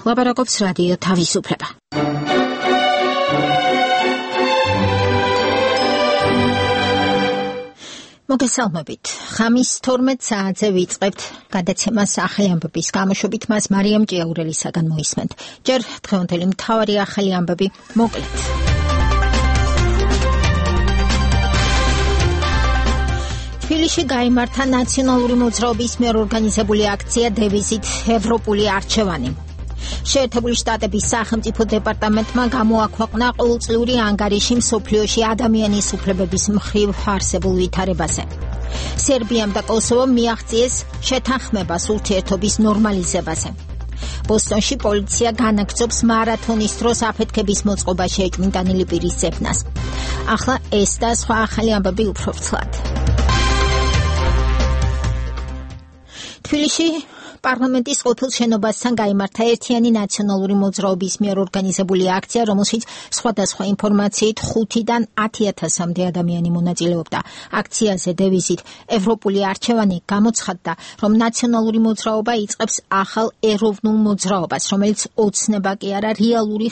ლაპარაკობს რადიო თავისუფლება. მოგესალმებით. ხამის 12 საათზე ვიწყებთ გადაცემას ახალი ამბების გამოშვებით, მას მარიამ ჭიაურელისაგან მოისმენთ. ჯერ დღევანდელი მთავარი ახალი ამბები მოკლედ. თბილისში გაიმართა ნაციონალური მოძრაობის მიერ ორგანიზებული აქცია დევიზით ევროპული არჩევანი. შეერთებული შტატების სახელმწიფო დეპარტამენტმა გამოაქვეყნა ყოველწლიური ანგარიში მსოფლიოში ადამიანის უფლებების მხრივ არსებულ ვითარებაზე. სერბიამ და კოსოვომ მიაღწიეს შეთანხმებას ურთიერთობის ნორმალიზებაზე. ბოსტონში პოლიცია განაგრძობს მარათონის დროს აფეთქების მოწყობაში ეჭვმიტანილი პირის ძებნას. ახლა ეს და სხვა ახალი ამბები უფრო ფრთლად. თბილისში პარლამენტის ყოფილ შენობასთან გაიმართა ერთიანი ნაციონალური მოძრაობის მიერ ორგანიზებული აქცია, რომელშიც სხვადასხვა ინფორმაციით 5-დან 10,000-მდე ადამიანი მონაწილეობდა. აქციაზე დევიზით ევროპული არჩევანი გამოცხადდა, რომ ნაციონალური მოძრაობა იწყებს ახალ ეროვნულ მოძრაობას, რომელიც ოცნება კი არა რეალური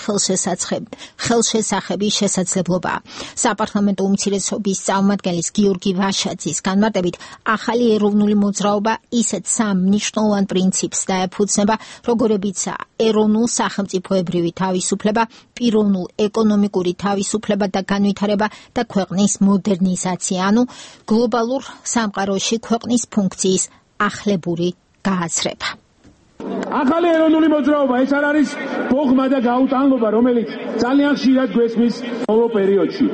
ხელშესახების შესაძლებლობაა. საპარლამენტო უმცირესობის წარმომადგენლის გიორგი ვაშაძის განმარტებით, ახალი ეროვნული მოძრაობა ისეთ სამ მნიშვნელოვან პრინციპს დაეფუძნება, როგორებიცაა ეროვნულ სახელმწიფოებრივი თავისუფლება, პიროვნულ ეკონომიკური თავისუფლება და განვითარება და ქვეყნის მოდერნიზაცია, ანუ გლობალურ სამყაროში ქვეყნის ფუნქციის ახლებური გააზრება. ახალი ეროვნული მოძრაობა ეს არ არის ბოღმა და გაუტანლობა, რომელიც ძალიან ხშირად გვესმის ბოლო პერიოდში.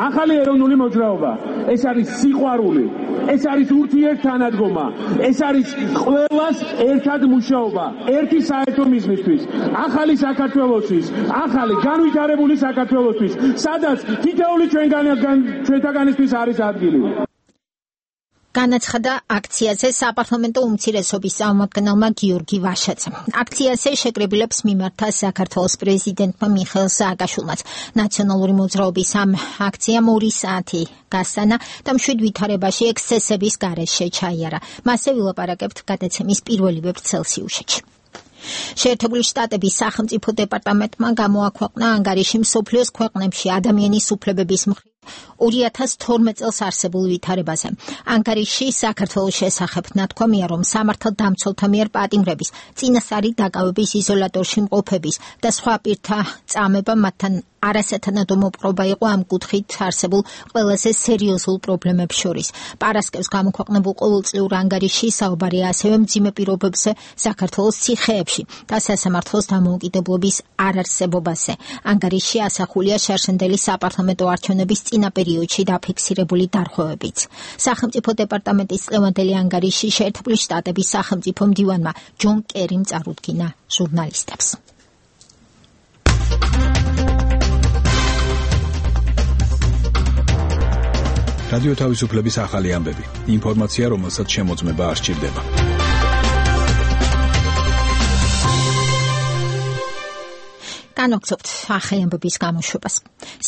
ახალი ეროვნული მოძრაობა ეს არის სიყვარული, ეს არის ურთიერთთანადგომა, ეს არის ყველას ერთად მუშაობა, ერთი საერთო მიზნისთვის, ახალი საქართველოსთვის, ახალი განვითარებული საქართველოსთვის, სადაც თითოეული ჩვენთაგანისთვის არის ადგილი. განაცხადა აქციაზე საპარლამენტო უმცირესობის წარმომადგენელმა გიორგი ვაშაძემ. აქციაზე შეკრებილებს მიმართა საქართველოს პრეზიდენტმა მიხეილ სააკაშვილმაც. ნაციონალური მოძრაობის ამ აქციამ 2 საათი გასტანა და მშვიდ ვითარებაში ექსცესების გარეშე ჩაიარა. მასზე ვილაპარაკებთ გადაცემის პირველივე ვრცელსიუჟეტში. შეერთებული შტატების სახელმწიფო დეპარტამენტმა გამოაქვეყნა ანგარიში მსოფლიოს ქვეყნებში ადამიანის უფლებების მხრივ 2012 წელს არსებულ ვითარებაზე. ანგარიში საქართველოს შესახებ ნათქვამია, რომ სამართალდამცველთა მიერ პატიმრების, წინასწარი დაკავების იზოლატორში მყოფების და სხვა პირთა წამება მათთან არასათანადო მოპყრობა იყო ამ კუთხით არსებულ ყველაზე სერიოზულ პრობლემებს შორის. პარასკევს გამოქვეყნებულ ყოველწლიურ ანგარიში საუბარია ასევე მძიმე პირობებზე საქართველოს ციხეებში და სასამართლოს დამოუკიდებლობის არარსებობაზე. ანგარიში ასახულია შარშანდელი საპარლამენტო არჩევნების წინა პერიოდში დაფიქსირებული დარღვევებიც. სახელმწიფო დეპარტამენტის წლევანდელი ანგარიში შეერთებული შტატების სახელმწიფო მდივანმა ჯონ კერიმ წარუდგინა ჟურნალისტებს. რადიო თავისუფლების ახალი ამბები. ინფორმაცია, რომელსაც შემოწმება არ სჭირდება. განვაგრძობთ ახალი ამბების გამოშვებას.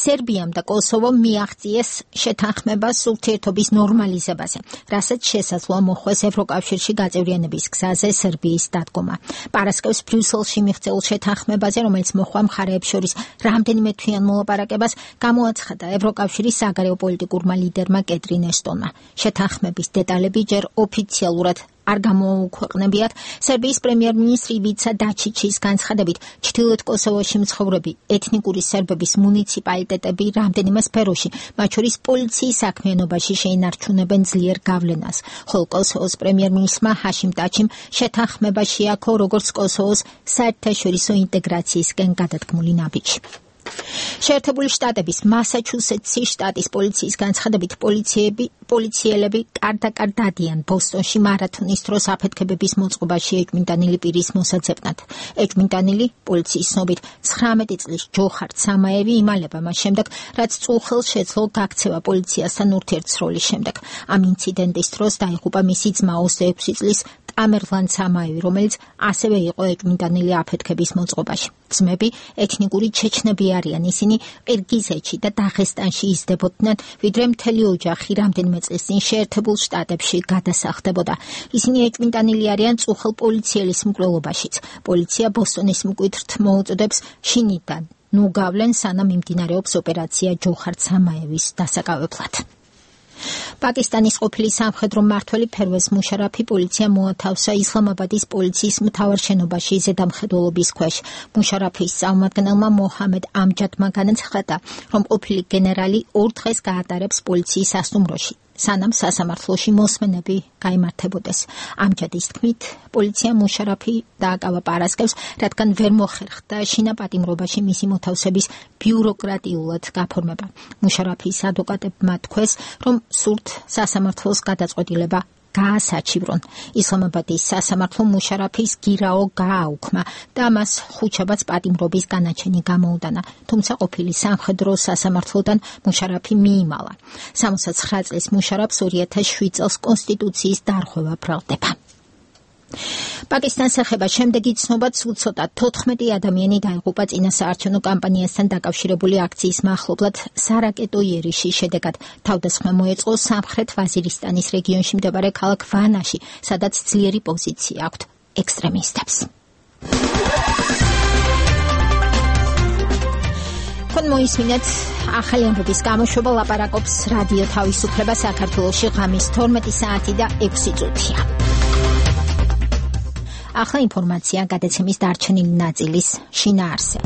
სერბიამ და კოსოვომ მიაღწიეს შეთანხმებას ურთიერთობის ნორმალიზებაზე, რასაც შესაძლოა მოხვდეს ევროკავშირში გაწევრიანების გზაზე სერბიის დადგომა. პარასკევს ბრიუსელში მიღწეულ შეთანხმებაზე, რომელიც მოხდა მხარეებს შორის რამდენიმე თვიან მოლაპარაკებას, გამოაცხადა ევროკავშირის საგარეო პოლიტიკურმა ლიდერმა კეტრინ ესტონმა. შეთანხმების დეტალები ჯერ ოფიციალურად არ გამოუქვეყნებიათ. სერბიის პრემიერ-მინისტრი ივიცა დაჩიჩის განცხადებით, ჩრდილოეთ კოსოვოში მცხოვრები ეთნიკური სერბების მუნიციპალიტეტები რამდენიმე სფეროში, მათ შორის პოლიციის საქმიანობაში შეინარჩუნებენ ძლიერ გავლენას. ხოლო კოსოვოს პრემიერ-მინისტრმა ჰაშიმ ტაჩიმ შეთანხმება შეაქო როგორც კოსოვოს საერთაშორისო ინტეგრაციისკენ გადადგმული ნაბიჯი. შეერთებული შტატების მასაჩუსეტსის შტატის პოლიციის განცხადებით, პოლიციელები კარდაკარ დადიან ბოსტონში მარათონის დროს აფეთქებების მოწყობაში ეჭვმიტანილი პირის მოსაძებნად. ეჭვმიტანილი პოლიციის ცნობით 19 წლის ჯოხარ სამაევი იმალება მას შემდეგ, რაც წულხელს შეძლო გაქცევა პოლიციასთან ურთიერთსროლის შემდეგ. ამ ინციდენტის დროს დაიღუპა მისი ძმა 26 წლის ტამერლან სამაევი, რომელიც ასევე იყო ეჭვმიტანილი აფეთქების მოწყობაში. ძმები ეთნიკური ჩეჩნები არიან, ისინი ყირგიზეთში და დაღესტანში იზრდებოდნენ, ვიდრე მთელი ოჯახი რამდენიმე წლის წინ შეერთებულ შტატებში გადასახლდებოდა. ისინი ეჭვმიტანილი არიან წუხელ პოლიციელის მკვლელობაშიც. პოლიცია ბოსტონის მკვიდრთ მოუწოდებს შინიდან ნუ გავლენ, სანამ მიმდინარეობს ოპერაცია ჯოხარ სამაევის დასაკავებლად. პაკისტანის ყოფილი სამხედრო მმართველი ფერვეზ მუშარაფი პოლიცია მოათავსა ისლამაბადის პოლიციის მთავარ შენობაში ზედამხედველობის ქვეშ. მუშარაფის წარმომადგენელმა მოჰამედ ამჯადმა განაცხადა, რომ ყოფილი გენერალი 2 დღეს გაატარებს პოლიციის სასტუმროში, სანამ სასამართლოში მოსმენები გაიმართებოდეს. ამჯადის თქმით, პოლიცია მუშარაფი დააკავა პარასკევს, რადგან ვერ მოხერხდა შინაპატიმრობაში მისი მოთავსების ბიუროკრატიულად გაფორმება. მუშარაფის ადვოკატებმა თქვეს, რომ სურთ სასამართლოს გადაწყვეტილება გაასაჩივრონ. ისლამაბადის სასამართლო მუშარაფის გირაო გააუქმა და მას ხუთშაბათს პატიმრობის განაჩენი გამოუდანა, თუმცა ყოფილი სამხედრო სასამართლოდან მუშარაფი მიიმალა. 69 წლის მუშარაფს 2007 წელს კონსტიტუციის დარღვევა ბრალდება. პაკისტანს ეხება შემდეგი ცნობა, უცოტა 14 ადამიანი დაიღუპა წინასაარჩევნო კამპანიასთან დაკავშირებული აქციის მახლობლად სარაკეტო იერიშის შედეგად. თავდასხმა მოეწყო სამხრეთ ვაზირისტანის რეგიონში მდებარე ქალაქ ვანაში, სადაც ძლიერი პოზიცია აქვთ ექსტრემისტებს. თქვენ მოისმინეთ ახალი ამბების გამოშვება, ლაპარაკობს რადიო თავისუფლება საქართველოში, ღამის 12 საათი და 6 წუთია. ახლა ინფორმაცია გადაცემის დარჩენილი ნაწილის შინაარსზე.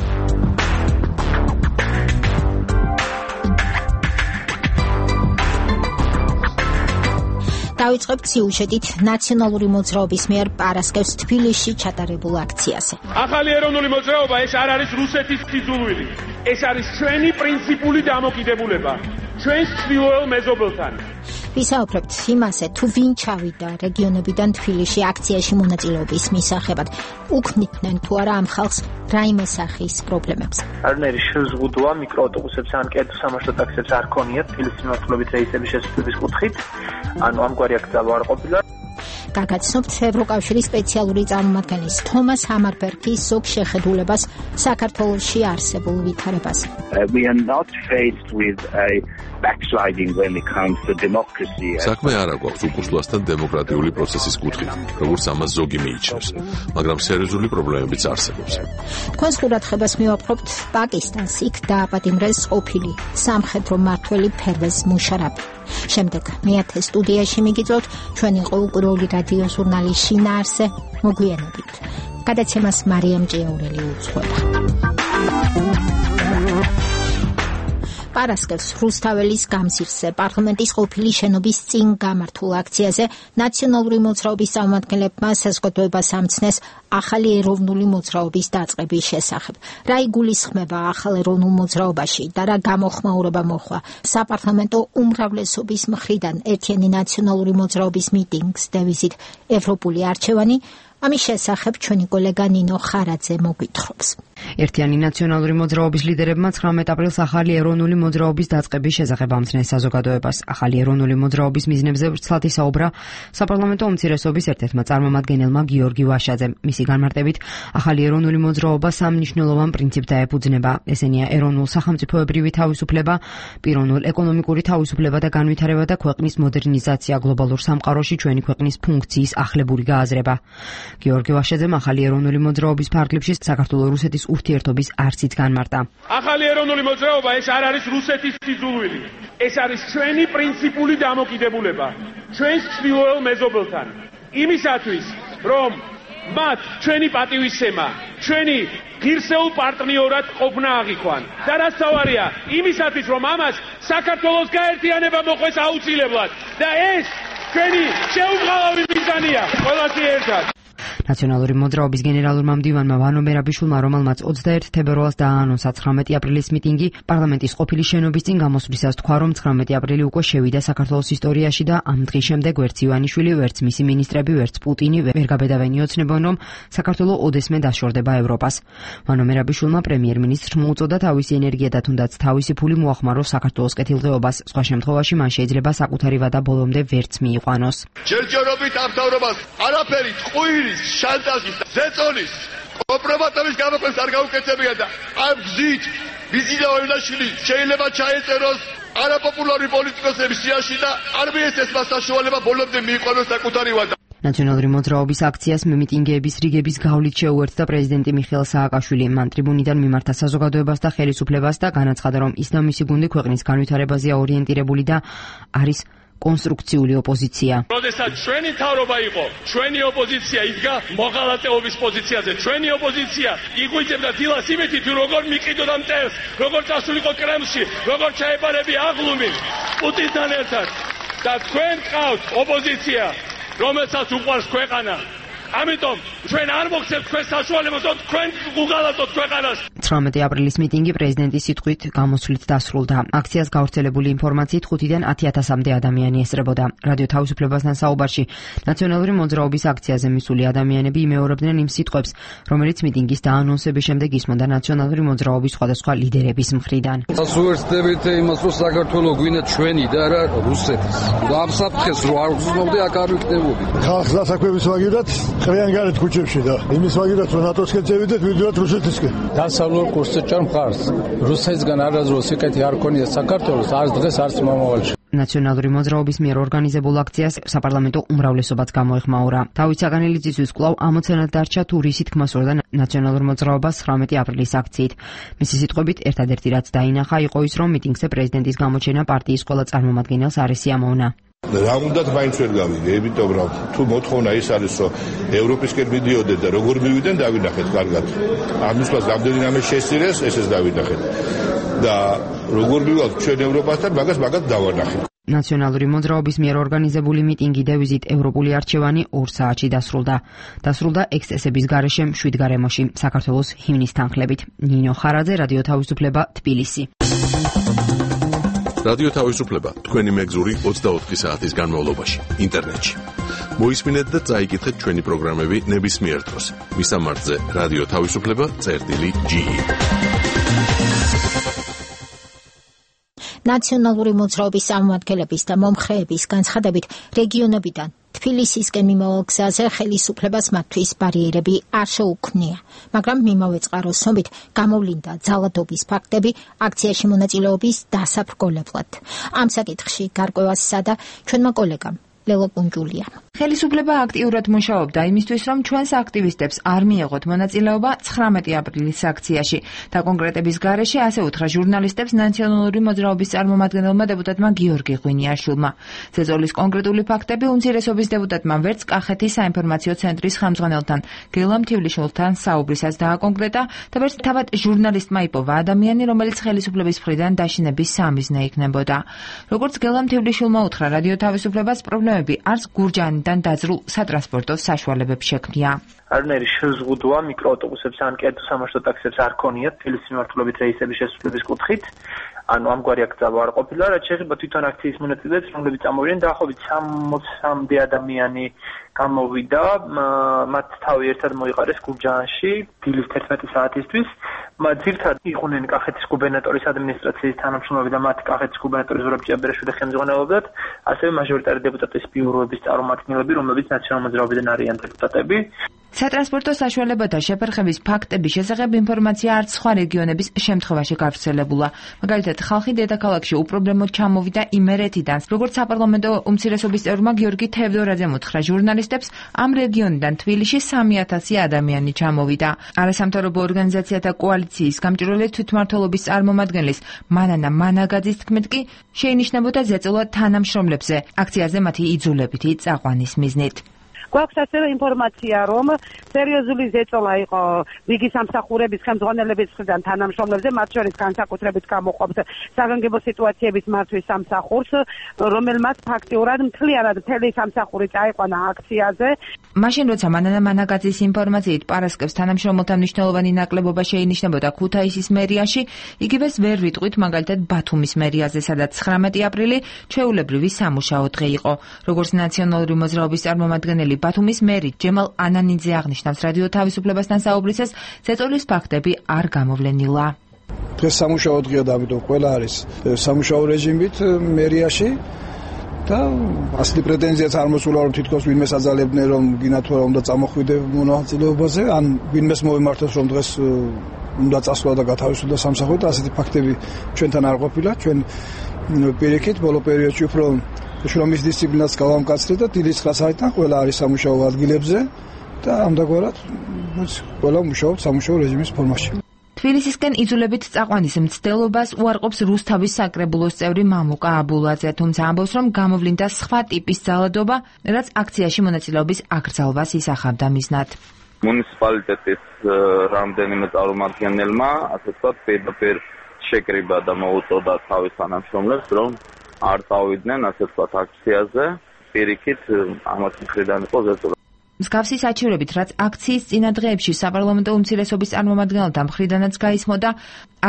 დავიწყებთ სიუჟეტით ნაციონალური მოძრაობის მიერ პარასკევს თბილისში ჩატარებულ აქციაზე. ახალი ეროვნული მოძრაობა ეს არ არის რუსეთის სიძულვილი. ეს არის ჩვენი პრინციპული დამოკიდებულება, ჩვენს ჩრდილოელ მეზობელთან. ვისაუბრებთ იმაზე, თუ ვინ ჩავიდა რეგიონებიდან თბილისში აქციაში მონაწილეობის მისაღებად. უქმნიდნენ თუ არა ამ ხალხს რაიმე სახის პრობლემებს. არნერი შეზღუდვა მიკროავტობუსებს ან კერძო-სამარშრუტო ტაქსებს არ ქონიათ თბილისის მიმართულებით რეისების შესაძლებლობის კუთხით. ანუ ამგვარი აქცია არ ყოფილა. გაგაცნობთ ევროკავშირის სპეციალური წარმომადგენლის თომას ჰამარბერგის ზოგ შეხედულებას საქართველოში არსებულ ვითარებას. We are not faced with a backsliding when it comes to democracy. საქმე არ აქვს უკუსლასთან დემოკრატიული პროცესის კუთხით, როგორც ამას ზოგი მიიჩნევს, მაგრამ სერიოზული პრობლემებიც არსებობს. თქვენს ყურადღებას მივაპყრობთ პაკისტანს, იქ დააპატიმრეს ყოფილი სამხედრო მმართველი ფერვეზ მუშარაფი. შემდეგ მეათე სტუდიაში მიგიწევთ ჩვენი ყოველკვირეული რადიო ჟურნალის შინაარსზე, მოგვიანებით. გადაცემას მარიამ ჭიაურელი უძღვება. პარასკევს რუსთაველის გამზირზე პარლამენტის ყოფილი შენობის წინ გამართულ აქციაზე ნაციონალური მოძრაობის წარმომადგენლებმა საზოგადოებას ამცნეს ახალი ეროვნული მოძრაობის დაწყების შესახებ. რა იგულისხმება ახალ ეროვნულ მოძრაობაში და რა გამოხმაურება მოხდა საპარლამენტო უმრავლესობის მხრიდან ერთიანი ნაციონალური მოძრაობის მიტინგს დევიზით ევროპული არჩევანი? ამის შესახებ ჩვენი კოლეგა ნინო ხარაძე მოგვითხრობს. ერთიანი ნაციონალური მოძრაობის ლიდერებმა 19 აპრილს ახალი ეროვნული მოძრაობის დაწყების შესახებ ამცნეს საზოგადოებას. ახალი ეროვნული მოძრაობის მიზნებზე ვრცლად ისაუბრა საპარლამენტო უმცირესობის ერთ-ერთმა წარმომადგენელმა გიორგი ვაშაძემ. მისი განმარტებით, ახალი ეროვნული მოძრაობა სამ მნიშვნელოვან პრინციპს დაეფუძნება. ესენია ეროვნულ სახელმწიფოებრივი თავისუფლება, პიროვნულ ეკონომიკური თავისუფლება და განვითარება და ქვეყნის მოდერნიზაცია, გლობალურ სამყაროში ჩვენი ქვეყნის ფუნქციის ახლებური გააზრება. გიორგი ვაშაძემ ახალი ეროვნული მოძრაობის ფარგლებში საქართველო-რუსეთის ურთიერთობის არსით განმარტა. ახალი ეროვნული მოძრაობა ეს არ არის რუსეთის სიძულვილი. ეს არის ჩვენი პრინციპული დამოკიდებულება, ჩვენს ჩრდილოელ მეზობელთან. იმისათვის, რომ მათ ჩვენი პატივისცემა, ჩვენი ღირსეულ პარტნიორად ყოფნა აღიქვან. და რაც თავარია, იმისათვის, რომ ამას საქართველოს გაერთიანება მოხდეს აუცილებლად. და ეს ჩვენი შეუწყალავი მიზანია ყველასი ერთად. ნაციონალური მოძრაობის გენერალურმა მდივანმა ვანო მერაბიშვილმა, რომელმაც 21 თებერვალს დააანონსა 19 აპრილის მიტინგი პარლამენტის ყოფილი შენობის წინ გამოსვლისას, თქვა, რომ 19 აპრილი უკვე შევიდა საქართველოს ისტორიაში და ამ დღის შემდეგ ვერც ივანიშვილი, ვერც მისი მინისტრები, ვერც პუტინი ვერ გაბედავენ იოცნებონ, რომ საქართველო ოდესმე დაშორდება ევროპას. ვანო მერაბიშვილმა პრემიერ-მინისტრს მოუწოდა თავისი ენერგია და თუნდაც თავისი ფული მოახმაროს საქართველოს კეთილდღეობას. სხვა შემთხვევაში მან შეიძლება საკუთარი ვადა ბოლომდე ვერც მიიყვანოს. ჯერჯერობით ამთავრობას არაფერი ტყუილის, შანტაჟის, ზეწოლის, კომპრომატების გამოყენს არ გაუკეთებია და ამ გზით ვიზინა ივანიშვილი შეიძლება ჩაეწეროს არაპოპულარი პოლიტიკოსების სიაში და არ მიეცეს მას საშუალება ბოლომდე მიიყვანოს საკუთარი ვადა. ნაციონალური მოძრაობის აქციას მიტინგების რიგების გავლით შეუერთდა პრეზიდენტი მიხეილ სააკაშვილი. მან ტრიბუნიდან მიმართა საზოგადოებას და ხელისუფლებას და განაცხადა, რომ ის და მისი გუნდი ქვეყნის განვითარებაზეა ორიენტირებული და არის კონსტრუქციული ოპოზიცია. როდესაც ჩვენი თავრობა იყო, ჩვენი ოპოზიცია იდგა მოღალატეობის პოზიციაზე. ჩვენი ოპოზიცია იღვიძებდა დილას იმითით, როგორ მიყიდოდა მტერს, როგორ წასულიყო კრემლში, როგორ ჩაეპარები აღლუმი პუტინთან ერთად. და თქვენ ყავთ ოპოზიცია, რომელსაც უყვარს ქვეყანა. ამიტომ ჩვენ არ მოგცემთ თქვენ საშუალებას, რომ თქვენ უღალატოთ ქვეყანას. 19 აპრილის მიტინგი პრეზიდენტის სიტყვით გამოსვლით დასრულდა. აქციას გავრცელებული ინფორმაციით 5-დან 10,000-მდე ადამიანი ესწრებოდა. რადიო თავისუფლებასთან საუბარში ნაციონალური მოძრაობის აქციაზე მისული ადამიანები იმეორებდნენ იმ სიტყვებს, რომელიც მიტინგის დაანონსების შემდეგ ისმოდა ნაციონალური მოძრაობის სხვადასხვა ლიდერების მხრიდან. ასუერთდებით იმას, რომ საქართველო გვინდა ჩვენი და არა რუსეთის. ამ საფრთხეს რო არ გრძნობდი, აქ არ ვიქნებოდი. ხალხს დასაქმების მაგივრად ყრიან გარეთ ქუჩებში და იმის მაგივრად რომ ნატოსკენ წევიდეთ, ვიდროდ რუსეთისკენ. დასავლურ კურსზე ჭამ მხარს. რუსეთისგან არასდროს სიკეთე არ ქონია საქართველოს, არც დღეს, არც მომავალში. ნაციონალური მოძრაობის მიერ ორგანიზებულ აქციას საპარლამენტო უმრავლესობაც გამოეხმაურა. დავით საგანელიძისთვის კვლავ ამოცანად დარჩა თუ რისი თქმა სურდა ნაციონალურ მოძრაობას 19 აპრილის აქციით. მისი სიტყვებით, ერთადერთი რაც დაინახა იყო ის, რომ მიტინგზე პრეზიდენტის გამოჩენა პარტიის ყველა წარმომადგენელს არ ესიამოვნა. რა უნდათ მაინც ვერ გავიგე, იმიტომ რომ თუ მოთხოვნა ის არის, რომ ევროპისკენ მიდიოდნენ და როგორ მივიდნენ, დავინახეთ კარგად. ამის მას რამდენიმე შესწირეს, ესეც დავინახეთ. და როგორ მივალთ ჩვენ ევროპასთან, მაგას დავანახეთ. ნაციონალური მოძრაობის მიერ ორგანიზებული მიტინგი დევიზით ევროპული არჩევანი 2 საათში დასრულდა. დასრულდა ექსცესების გარეშე 7 გარემოში, საქართველოს ჰიმნის თანხლებით. ნინო ხარაძე, რადიო თავისუფლება, თბილისი. რადიო თავისუფლება თქვენი მეგზური 24 საათის განმავლობაში ინტერნეტში. მოისმინეთ და წაიკითხეთ ჩვენი პროგრამები ნებისმიერ დროს. მისამართზე რადიო თავისუფლება.ge. ნაციონალური მოძრაობის წარმომადგენლების და მომხრეების განცხადებით რეგიონებიდან თბილისისკენ მიმავალ გზაზე ხელისუფლებას მათთვის ბარიერები არ შეუქმნია, მაგრამ მიმავე წყაროს ცნობით გამოვლინდა ძალადობის ფაქტები აქციაში მონაწილეობის დასაბრკოლებლად. ამ საკითხში გარკვევას სცადა ჩვენმა კოლეგამ ლელო პუნჯულია. ხელისუფლება აქტიურად მუშაობდა იმისთვის, რომ ჩვენს აქტივისტებს არ მიეღოთ მონაწილეობა 19 აპრილის აქციაში. და კონკრეტების გარეშე ასე უთხრა ჟურნალისტებს ნაციონალური მოძრაობის წარმომადგენელმა დეპუტატმა გიორგი ღვინიაშვილმა. ზეწოლის კონკრეტული ფაქტები უმცირესობის დეპუტატმა ვერც კახეთის საინფორმაციო ცენტრის ხელმძღვანელთან გელამ თივლიშვილთან საუბრისას დააკონკრეტა და ვერც თავად ჟურნალისტმა იპოვა ადამიანი, რომელიც ხელისუფლების მხრიდან დაშინების სამიზნე იქნებოდა. როგორც გელამ თივლიშვილმა უთხრა, რადიო თავისუფლებას პრობლემები არც გურჯაანიდან დაძრულ სატრანსპორტო საშუალებებს შექმნია. არნერი შეზღუდვა მიკროავტობუსებს ან კერძო სამაშრომო ტაქსებს არ ქონიათ თბილისის მიმართულებით რეისების შესრულების კუთხით. ანუ ამგვარი აკრძალვა არ ყოფილა, რაც შეეხება თვითონ აქციის მონაწილეებს, რომლებიც წამოვიდნენ, დაახლოებით 60-მდე ადამიანი გამოვიდა, მათ თავი ერთად მოიყარეს გურჯაანში დილის 11 საათისთვის. ძირთად იყვნენ კახეთის გუბერნატორის ადმინისტრაციის თანამშრომლები და მათ კახეთის გუბერნატორი ზურაბ ჭიაბერაშვილი ხელმძღვანელობდათ, ასევე მაჟორიტარი დეპუტატების ბიუროების წარმომადგენლები, რომლებიც ნაციონალურ მოძრაობიდან არიან დეპუტატები. სატრანსპორტო საშუალებათა შეფერხების ფაქტების შესახებ ინფორმაცია არც სხვა რეგიონების შემთხვევაში გავრცელებულა. მაგალითად, ხალხი დედაქალაქში უპრობლემოდ ჩამოვიდა იმერეთიდან, როგორც საპარლამენტო უმცირესობის წევრმა გიორგი თევდორაძემ უთხრა ჟურნალისტებს, ამ რეგიონიდან თბილისში 3000 ადამიანი ჩამოვიდა. არასამთავრობო ორგანიზაციათა კოალიციის გამჭვირვალე თვითმმართველობის წარმომადგენლის მანანა მანაგაძის თქმით კი შეინიშნებოდა ზეწოლა თანამშრომლებზე, აქციაზე მათი იძულებითი წაყვანის მიზნით. გვაქვს ასევე ინფორმაცია, რომ სერიოზული ზეწოლა იყო რიგი სამსახურების ხელმძღვანელების მხრიდან თანამშრომლებზე, მათ შორის განსაკუთრებით გამოყოფს საგანგებო სიტუაციების მართვის სამსახურს, რომელმაც ფაქტიურად მთლიანად მთელი სამსახური წაიყვანა აქციაზე. მაშინ როცა მანანა მანაგაძის ინფორმაციით პარასკევს თანამშრომელთა მნიშვნელოვანი ნაკლებობა შეინიშნებოდა ქუთაისის მერიაში, იგივეს ვერ ვიტყვით მაგალითად ბათუმის მერიაზე, სადაც 19 აპრილი ჩვეულებრივი სამუშაო დღე იყო. როგორც ნაციონალური მოძრაობის წარმომადგენელი ბათუმის მერი ჯემალ ანანიძე აღნიშნავს რადიო თავისუფლებასთან საუბრისას, ზეწოლის ფაქტები არ გამოვლენილა. დღეს სამუშაო დღეა და ამიტომ ყველა არის სამუშაო რეჟიმით მერიაში. და ასეთი პრეტენზიაც არ მოსულა, რომ თითქოს ვინმე საძალებდნენ, რომ გინათო რა უნდა წამოხვიდე მონაწილეობაზე, ან ვინმეს მოვემართოს, რომ დღეს უნდა წასვლა და გათავისუფლდა სამსახური და ასეთი ფაქტები ჩვენთან არ ყოფილა. ჩვენ პირიქით ბოლო პერიოდში უფრო შრომის დისციპლინაც გავამკაცრეთ და დილის 9 საათიდან ყველა არის სამუშაო ადგილებზე და ამდაგორად ყველა მუშაობს სამუშაო რეჟიმის ფორმაში. თბილისისკენ იძულებით წაყვანის მცდელობას უარყოფს რუსთავის საკრებულოს წევრი მამუკა აბულაძე, თუმცა ამბობს, რომ გამოვლინდა სხვა ტიპის ძალადობა, რაც აქციაში მონაწილეობის აკრძალვას ისახავდა მიზნად. მუნიციპალიტეტის რამდენიმე წარმომადგენელმა, ასე ვთქვათ, პირდაპირ შეკრიბა და მოუწოდა თავის თანამშრომლებს, რომ არ წავიდნენ, ასე ვთქვათ, აქციაზე. პირიქით ამათ მხრიდან იყო ზეწოლა. მსგავსი საჩივრებით, რაც აქციის წინა დღეებში საპარლამენტო უმცირესობის წარმომადგენელთა მხრიდანაც გაისმოდა,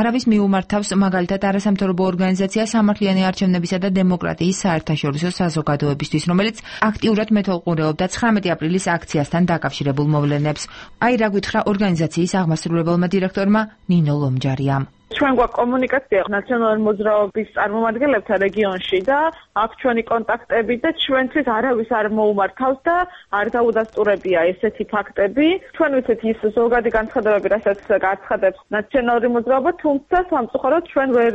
არავის მიუმართავს მაგალითად არასამთავრობო ორგანიზაცია სამართლიანი არჩევნებისა და დემოკრატიის საერთაშორისო საზოგადოებისთვის, რომელიც აქტიურად მეთვალყურეობდა 19 აპრილის აქციასთან დაკავშირებულ მოვლენებს. აი რა გითხრა ორგანიზაციის აღმასრულებელმა დირექტორმა ნინო ლომჯარიამ. ჩვენ გვაქვს კომუნიკაცია ნაციონალური მოძრაობის წარმომადგენლებთან რეგიონში და აქ ჩვენი კონტაქტები და ჩვენთვის არავის არ მოუმართავს და არ დაუდასტურებია ესეთი ფაქტები. ჩვენ ვიცით ის ზოგადი განცხადებები, რასაც გააცხადებს ნაციონალური მოძრაობა, თუმცა სამწუხაროდ ჩვენ ვერ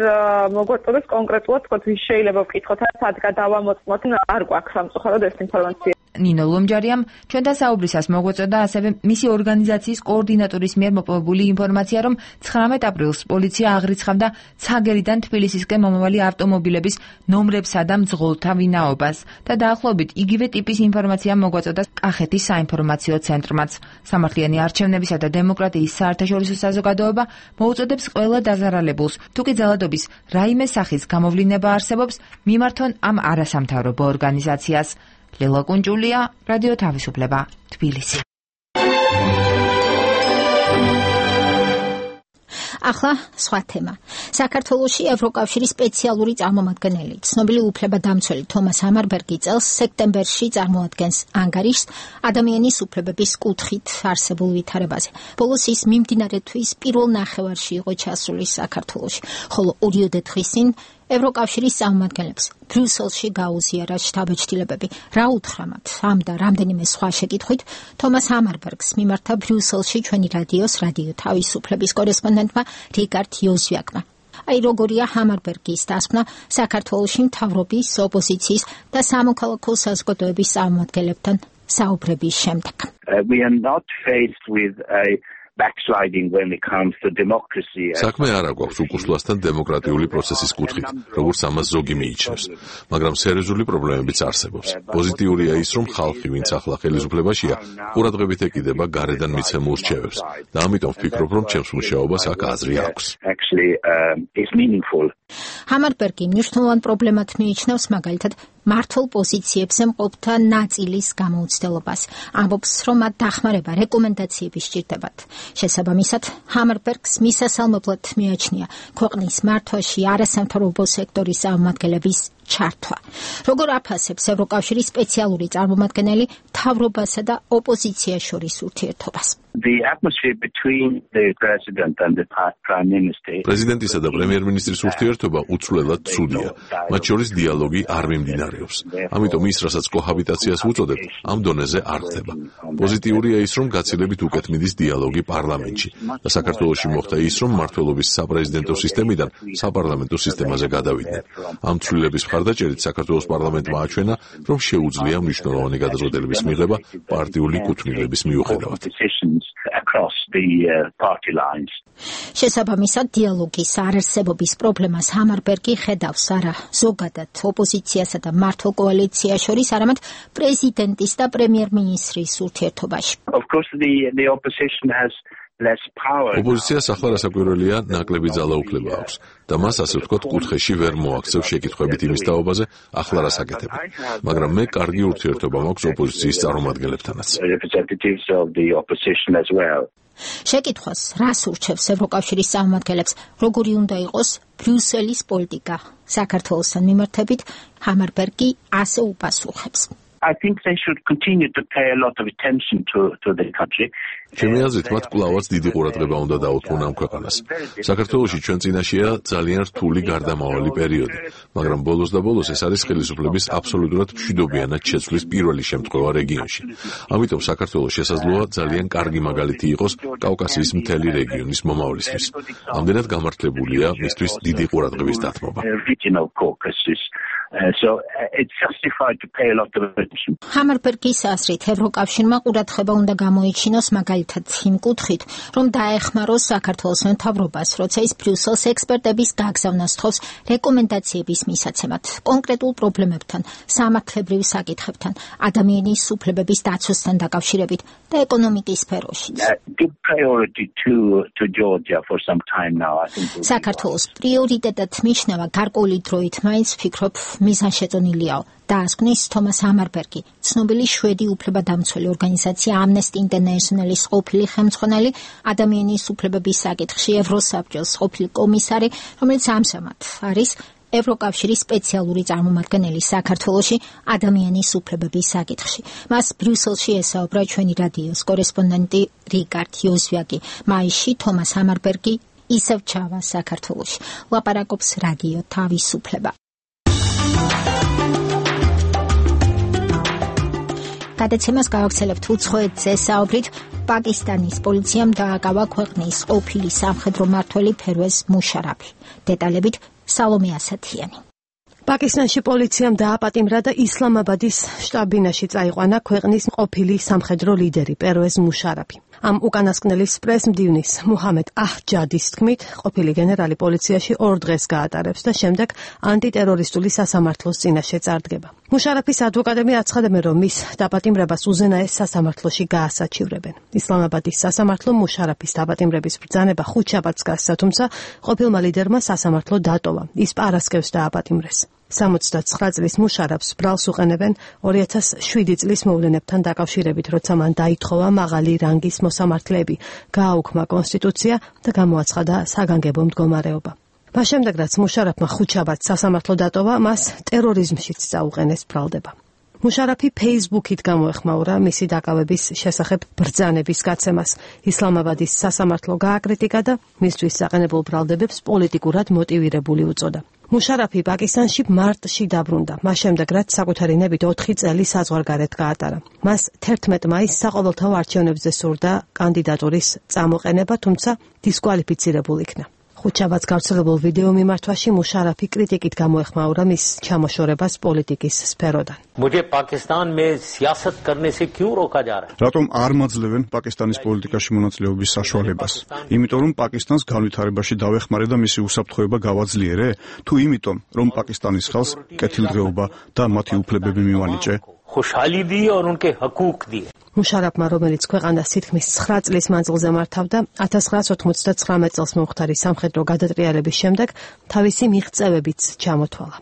მოგვაწოდებს კონკრეტულად თქო ვის შეიძლება ვკითხოთ, სად გადავამოწმოთ, არ გვაქვს სამწუხაროდ ეს ინფორმაცია. ნინო ლომჯარიამ ჩვენთან საუბრისას მოგვაწოდა ასევე მისი ორგანიზაციის კოორდინატორის მიერ მოპოვებული ინფორმაცია, რომ 19 აპრილს პოლიცია აღრიცხავდა ცაგერიდან თბილისისკენ მომავალი ავტომობილების ნომრებსა და მძღოლთა ვინაობას და დაახლოებით იგივე ტიპის ინფორმაცია მოგვაწოდა კახეთის საინფორმაციო ცენტრმაც. სამართლიანი არჩევნებისა და დემოკრატიის საერთაშორისო საზოგადოება მოუწოდებს ყველა დაზარალებულს, თუკი ძალადობის რაიმე სახის გამოვლინება არსებობს, მიმართონ ამ არასამთავრობო ორგანიზაციას. ლელა კუნჯულია, რადიო თავისუფლება, თბილისი. ახლა სხვა თემა. საქართველოში ევროკავშირის სპეციალური წარმომადგენელი, ცნობილი უფლებადამცველი თომას ამარბერგი წელს სექტემბერში წარმოადგენს ანგარიშს ადამიანის უფლებების კუთხით არსებულ ვითარებაზე. ბოლოს ის მიმდინარე თვის პირველ ნახევარში იყო ჩასული საქართველოში, ხოლო 2 დღის წინ ევროკავშირის წარმომადგენლებს ბრიუსელში გაუზიარა შტაბ-ჩრდილებები. რა უთხრამათ ამ და რამდენიმე სხვა შეკითხვით თომას ამარბერგს მიმართა ბრიუსელში ჩვენი რადიო თავისუფლების კორესპონდენტმა რიგარდ იოზვიაკმა. აი როგორია ამარბერგის დასკვნა საქართველოში მთავრობის, ოპოზიციის და სამოქალაქო საზოგადოების წარმომადგენლებთან საუბრების შემდეგ. We are not faced with a backsliding when it comes to democracy. საქმე არ აქვს უკუსლასთან დემოკრატიული პროცესის კუთხით, როგორც ამას ზოგი მიიჩნევს, მაგრამ სერიოზული პრობლემებიც არსებობს. პოზიტიურია ის, რომ ხალხი, ვინც ახლა ხელისუფლებაშია, ყურადღებით ეკიდება გარედან მიცემულ რჩევებს და ამიტომ ვფიქრობ, რომ ჩემს მუშაობას აქ აზრი აქვს. ამარბერგი მნიშვნელოვან პრობლემად მიიჩნევს მაგალითად მართლ პოზიციებზე მყოფთა ნაწილის გამოუცდელობას. ამბობს, რომ მათ დახმარება, რეკომენდაციები სჭირდებათ. შესაბამისად, ამარბერგს მისასალმებლად მიაჩნია ქვეყნის მართვაში არასამთავრობო სექტორის წარმომადგენლების ჩართვა. როგორ აფასებს ევროკავშირის სპეციალური წარმომადგენელი მთავრობასა და ოპოზიციას შორის ურთიერთობას? The atmosphere between the president and the prime minister. პრეზიდენტისა და პრემიერ-მინისტრის ურთიერთობა უცვლელად ცუდია. მათ შორის დიალოგი არ მიმდინარეობს. ამიტომ ის, რასაც კოჰაბიტაციას უწოდებთ, ამ დონეზე არ ხდება. პოზიტიურია ის, რომ გაცილებით უკეთ მიდის დიალოგი პარლამენტში და საქართველოში მოხდა ის, რომ მმართველობის საპრეზიდენტო სისტემიდან საპარლამენტო სისტემაზე გადავიდნენ. ამ ცვლილების მხარდაჭერით საქართველოს პარლამენტმა აჩვენა, რომ შეუძლია მნიშვნელოვანი გადაწყვეტილების მიღება პარტიული კუთვნილების მიუხედავად. across the party lines. შესაბამისად დიალოგის არარსებობის პრობლემას ჰამარბერგი ხედავს არა ზოგადად ოპოზიციასა და მართლ კოალიციას შორის, არამედ პრეზიდენტის და პრემიერ-მინისტრის ურთიერთობაში. Of course the opposition has less power. ოპოზიციას ახლა რასაკვირველია ნაკლები ძალაუფლება აქვს და მას ასე ვთქვათ კუთხეში ვერ მოაქცევს შეკითხვებით იმის თაობაზე ახლა რას აკეთებენ. მაგრამ მე კარგი ურთიერთობა მაქვს ოპოზიციის წარმომადგენლებთანაც. Representatives of the opposition as well. შეკითხვას რას ურჩევს ევროკავშირის წარმომადგენლებს, როგორი უნდა იყოს ბრიუსელის პოლიტიკა საქართველოსთან მიმართებით, ჰამარბერგი ასე უპასუხებს. I think they should continue to pay a lot of attention to the country. ჩემი აზრით მათ კვლავაც დიდი ყურადღება უნდა დაუთმონ ამ ქვეყანას. საქართველოში ჩვენ წინაშეა ძალიან რთული გარდამავალი პერიოდი, მაგრამ ბოლოს და ბოლოს ეს არის ხელისუფლების აბსოლუტურად მშვიდობიანად შეცვლის პირველი შემთხვევა რეგიონში. ამიტომ საქართველოს შესაძლოა ძალიან კარგი მაგალითი იყოს კავკასიის მთელი რეგიონის მომავლისთვის. ამდენად გამართლებულია მისთვის დიდი ყურადღების დათმობა. So it's justified to pay a lot of attention. ჰამარბერგის აზრით ევროკავშირმა ყურადღება უნდა გამოიჩინოს მაგალითად იმ კუთხით, რომ დაეხმაროს საქართველოს მთავრობას, როცა ის ბრიუსელს ექსპერტების გაგზავნას თხოვს რეკომენდაციების მისაცემად, კონკრეტულ პრობლემებთან, სამართლებრივ საკითხებთან, ადამიანის უფლებების დაცვასთან დაკავშირებით და ეკონომიკის სფეროშიც. Give priority to Georgia for some time now. I think საქართველოს პრიორიტეტად მიიჩნევა გარკვეული დროით, მაინც ვფიქრობ მიზანშეწონილიაო, დაასკვნის თომას ჰამარბერგი, ცნობილი შვედი უფლებადამცველი ორგანიზაცია Amnesty International-ის ყოფილი ხელმძღვანელი, ადამიანის უფლებების საკითხში ევროსაბჭოს ყოფილი კომისარი, რომელიც ამჟამად არის ევროკავშირის სპეციალური წარმომადგენელი საქართველოში ადამიანის უფლებების საკითხში. მას ბრიუსელში ესაუბრა ჩვენი რადიოს კორესპონდენტი რიგარდ იოზვიაკი. მაისში თომას ჰამარბერგი ისევ ჩავა საქართველოში. ლაპარაკობს რადიო თავისუფლება. გადაცემას გავაგრძელებთ უცხოეთზე საუბრით. პაკისტანის პოლიციამ დააკავა ქვეყნის ყოფილი სამხედრო მმართველი ფერვეზ მუშარაფი. დეტალებით სალომე ასათიანი. პაკისტანში პოლიციამ დააპატიმრა და ისლამაბადის შტაბ-ბინაში წაიყვანა ქვეყნის ყოფილი სამხედრო ლიდერი პერვეზ მუშარაფი. ამ უკანასკნელის პრეს-მდივნის მუჰამედ აჰჯადის თქმით, ყოფილი გენერალი პოლიციაში 2 დღეს გაატარებს და შემდეგ ანტიტერორისტული სასამართლოს წინაშე წარდგება. მუშარაფის ადვოკატები აცხადებენ, რომ მის დაპატიმრებას უზენაეს სასამართლოში გაასაჩივრებენ. ისლამაბადის სასამართლო მუშარაფის დაპატიმრების ბრძანება ხუთშაბათს გასცა, თუმცა ყოფილმა ლიდერმა სასამართლო დატოვა. ის პარასკევს დააპატიმრეს. 69 წლის მუშარაფს ბრალს უყენებენ 2007 წლის მოვლენებთან დაკავშირებით, როცა მან დაითხოვა მაღალი რანგის მოსამართლეები, გააუქმა კონსტიტუცია და გამოაცხადა საგანგებო მდგომარეობა. მას შემდეგ, რაც მუშარაფმა ხუთშაბათს სასამართლო დატოვა, მას ტერორიზმშიც წაუყენეს ბრალდება. მუშარაფი Facebook-ით გამოეხმაურა მისი დაკავების შესახებ ბრძანების გაცემას. ისლამაბადის სასამართლო გააკრიტიკა და მისთვის საყენებელ ბრალდებებს პოლიტიკურად მოტივირებული უწოდა. მუშარაფი პაკისტანში მარტში დაბრუნდა, მას შემდეგ, რაც საკუთარი ნებით 4 წელი საზღვარგარეთ გაატარა. მას 11 მაისს საყოველთაო არჩევნებზე სურდა კანდიდატურის წამოყენება, თუმცა დისკვალიფიცირებულ იქნა. ხუთშაბათს გავრცელებულ ვიდეო მიმართვაში მუშარაფი კრიტიკით გამოეხმაურა მის ჩამოშორებას პოლიტიკის სფეროდან. რატომ არ მაძლევენ პაკისტანის პოლიტიკაში მონაწილეობის საშუალებას? იმიტომ რომ პაკისტანს განვითარებაში დავეხმარე და მისი უსაფრთხოება გავაძლიერე? თუ იმიტომ რომ პაკისტანის ხალხს კეთილდღეობა და მათი უფლებები მივანიჭე? მუშარაფმა, რომელიც ქვეყანას თითქმის 9 წლის მანძილზე მართავდა, 1999 წელს მომხდარი სამხედრო გადატრიალების შემდეგ თავისი მიღწევებიც ჩამოთვალა.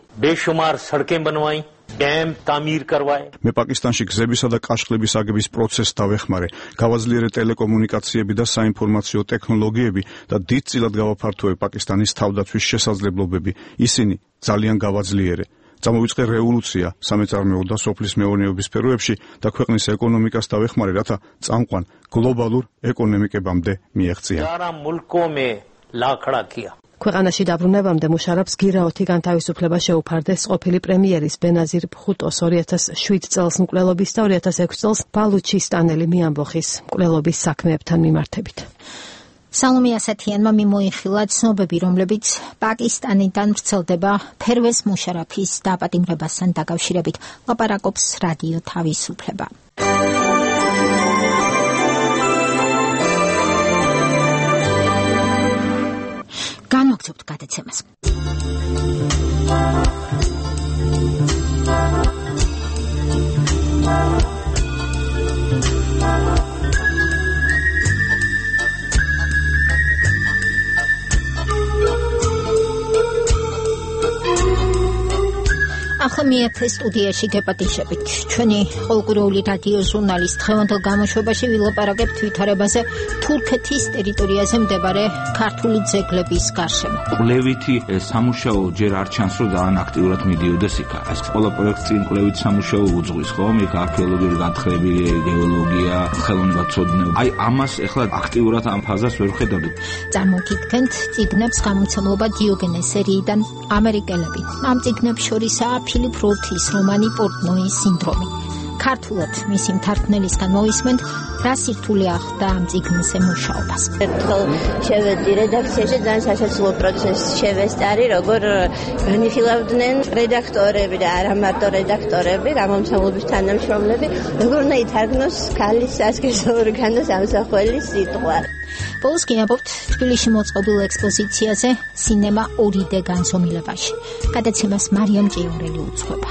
მე პაკისტანში გზებისა და კაშხლების აგების პროცესს დავეხმარე, გავაძლიერე ტელეკომუნიკაციები და საინფორმაციო ტექნოლოგიები და დიდწილად გავაფართოვე პაკისტანის თავდაცვის შესაძლებლობები. ისინი ძალიან გავაძლიერე. Წამოვიწყე რევოლუცია სამეწარმეო და სოფლის მეურნეობის სფეროებში და ქვეყნის ეკონომიკას დავეხმარე, რათა წამყვან გლობალურ ეკონომიკებამდე მიეღწია. ქვეყანაში დაბრუნებამდე მუშარაფს გირაოთი განთავისუფლება შეუფარდეს ყოფილი პრემიერის ბენაზირ ბჰუტოს 2007 წელს მკვლელობის და 2006 წელს ბალუჩისტანელი მიამბოხის მკვლელობის საქმეებთან მიმართებით. სალომე ასათიანმა მიმოიხილა ცნობები, რომლებიც პაკისტანიდან ვრცელდება ფერვეზ მუშარაფის დაპატიმრებასთან დაკავშირებით. ლაპარაკობს რადიო თავისუფლება. გულისხმობთ გადაცემას. ახლა მეათე სტუდიაში გეპატიჟებით. ჩვენი ყოველკვირეული რადიო ჟურნალის დღევანდელ გამოშვებაში ვილაპარაკებთ ვითარებაზე თურქეთის ტერიტორიაზე მდებარე ქართული ძეგლების გარშემო. კვლევითი სამუშაო ჯერ არ ჩანს, რომ ძალიან აქტიურად მიდიოდეს იქ. ეს ყველა პროექტი წინ კვლევით სამუშაო უძღვის, ხომ? იქ არქეოლოგიური განხრები, გეოლოგია, ხელოვნებაცოდნეობა. აი ამას ახლა აქტიურად ამ ფაზას ვერ ხედავთ. წარმოგიდგენთ წიგნებს გამომცემლობა დიოგენეს სერიიდან ამერიკელები. ამ წიგნებს შორისაა ფილიპ როთის რომანი პორტნოის სინდრომი. ქართულად მისი მთარგმნელისგან მოვისმენთ, რა სირთულე ახდა ამ წიგნზე მუშაობას. ერთხელ შევედი რედაქციაში, ძალიან სასაცილო პროცესს შევესწარი, როგორ განიხილავდნენ რედაქტორები და არა მარტო რედაქტორები, გამომცემლობის თანამშრომლები, როგორ უნდა ითარგმნოს ქალის სასქესო ორგანოს ამსახველის სიტყვა. ბოლოს გიამბობთ თბილისში მოწყობილ ექსპოზიციაზე სინემა 2D განზომილებაში. გადაცემას მარიამ ჭიურელი უძღვება.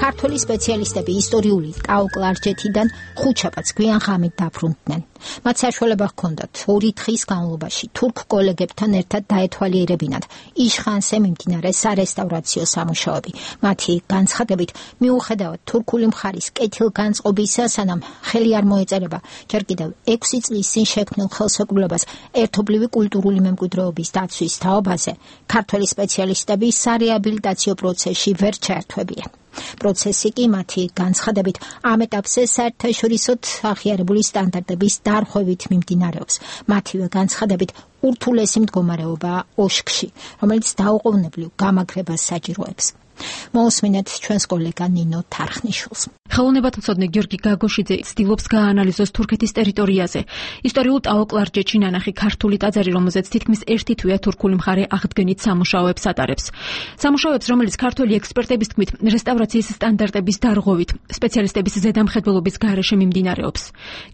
ქართული სპეციალისტები ისტორიული ტაო-კლარჯეთიდან ხუთშაბათს გვიან ღამით დაბრუნდნენ. მათ საშუალება ჰქონდათ 2 დღის განმავლობაში თურქ კოლეგებთან ერთად დაეთვალიერებინათ იშხანზე მიმდინარე სარესტავრაციო სამუშაოები. მათი განცხადებით, მიუხედავად თურქული მხარის კეთილგანწყობისა, სანამ ხელი არ მოეწერება ჯერ კიდევ 6 წლის წინ შექმნილ ხელშეკრულებას ერთობლივი კულტურული მემკვიდრეობის დაცვის თაობაზე, ქართველი სპეციალისტები სარეაბილიტაციო პროცესში ვერ ჩაერთვებიან. პროცესი კი მათი განცხადებით ამ ეტაპზე საერთაშორისოდ აღიარებული სტანდარტების დარღვევით მიმდინარეობს. მათივე განცხადებით ურთულესი მდგომარეობაა ოშქში, რომელიც დაუყოვნებლივ გამაგრებას საჭიროებს. მოусმინეთ ჩვენს კოლეგა ნინო თარხნიშვილს. ხელოვნებათმცოდნე გიორგი გაგოშიძე ცდილობს გაანალიზოს თურქეთის ტერიტორიაზე ისტორიულ ტაო-კლარჯეთში ნანახი ქართული ტაძარი, რომელზეც თითქმის ერთი თვეა თურქული მხარე აღდგენით სამუშაოებს ატარებს. სამუშაოებს, რომელიც ქართველი ექსპერტების თქმით რესტავრაციის სტანდარტების დარღვევით სპეციალისტების ზედამხედველობის გარეშე მიმდინარეობს.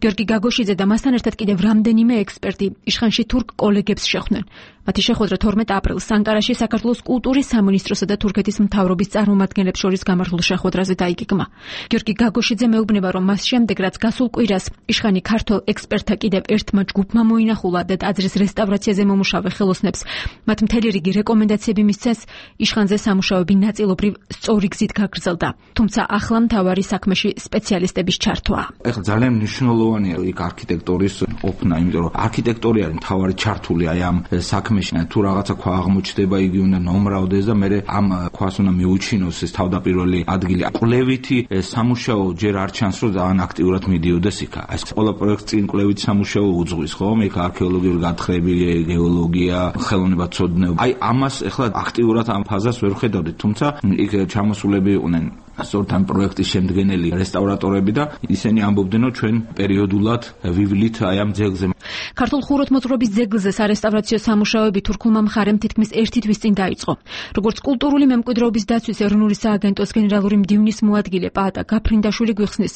გიორგი გაგოშიძე და მასთან ერთად კიდევ რამდენიმე ექსპერტი იშხანში თურქ კოლეგებს შეხვდნენ. მათი შეხვედრა 12 აპრილს ანკარაში საქართველოს კულტურის სამინისტროსა და თურქეთის მთავრობის წარმომადგენლებს შორის გამართულ შეხვედრაზე დაიგეგმა. გიორგი გაგოშიძე მეუბნება, რომ მას შემდეგ, რაც გასულ კვირას იშხანი ქართულ ექსპერტთა კიდევ ერთმა ჯგუფმა მოინახულა და ტაძრის რესტავრაციაზე მომუშავე ხელოსნებს მათ მთელი რიგი რეკომენდაციები მისცეს, იშხანზე სამუშაოები ნაწილობრივ სწორი გზით გაგრძელდა. თუმცა ახლა მთავარი საქმეში სპეციალისტების ჩართვაა. ეხლა ძალიან მნიშვნელოვანია იქ არქიტექტურის ყოფნა, იმიტომ რომ არქიტექტორი არის მთავარი ჩართული აი ამ საქმეში. თუ რაღაცა ქვა აღმოჩნდება, იგი უნდა ნომრავდეს და მე ამ ქვას უნდა მიუჩინოს ეს თავდაპირველი ადგილი. კვლევითი სამუშაო ჯერ არ ჩანს, რომ ძალიან აქტიურად მიდიოდეს იქ. ეს ყველა პროექტი წინ კვლევით სამუშაო უძღვის, ხომ? იქ არქეოლოგიური განხრები, გეოლოგია, ხელოვნებაცოდნეობა. აი ამას ახლა აქტიურად ამ ფაზას ვერ ხედავთ, თუმცა იქ ჩამოსულები იყვნენ სწორედ ამ პროექტის შემდგენელი რესტავრატორები და ისინი ამბობდნენ, რომ ჩვენ პერიოდულად ვივლით აი ამ ძეგლზე. ქართულ ხუროთმოძღვრების ძეგლზე სარესტავრაციო სამუშაოები თურქულმა მხარემ თითქმის ერთი თვის წინ დაიწყო. როგორც კულტურული მემკვიდრეობის დაცვის ეროვნული სააგენტოს გენერალური მდივნის მოადგილე პაატა გაფრინდაშვილი გვიხსნის,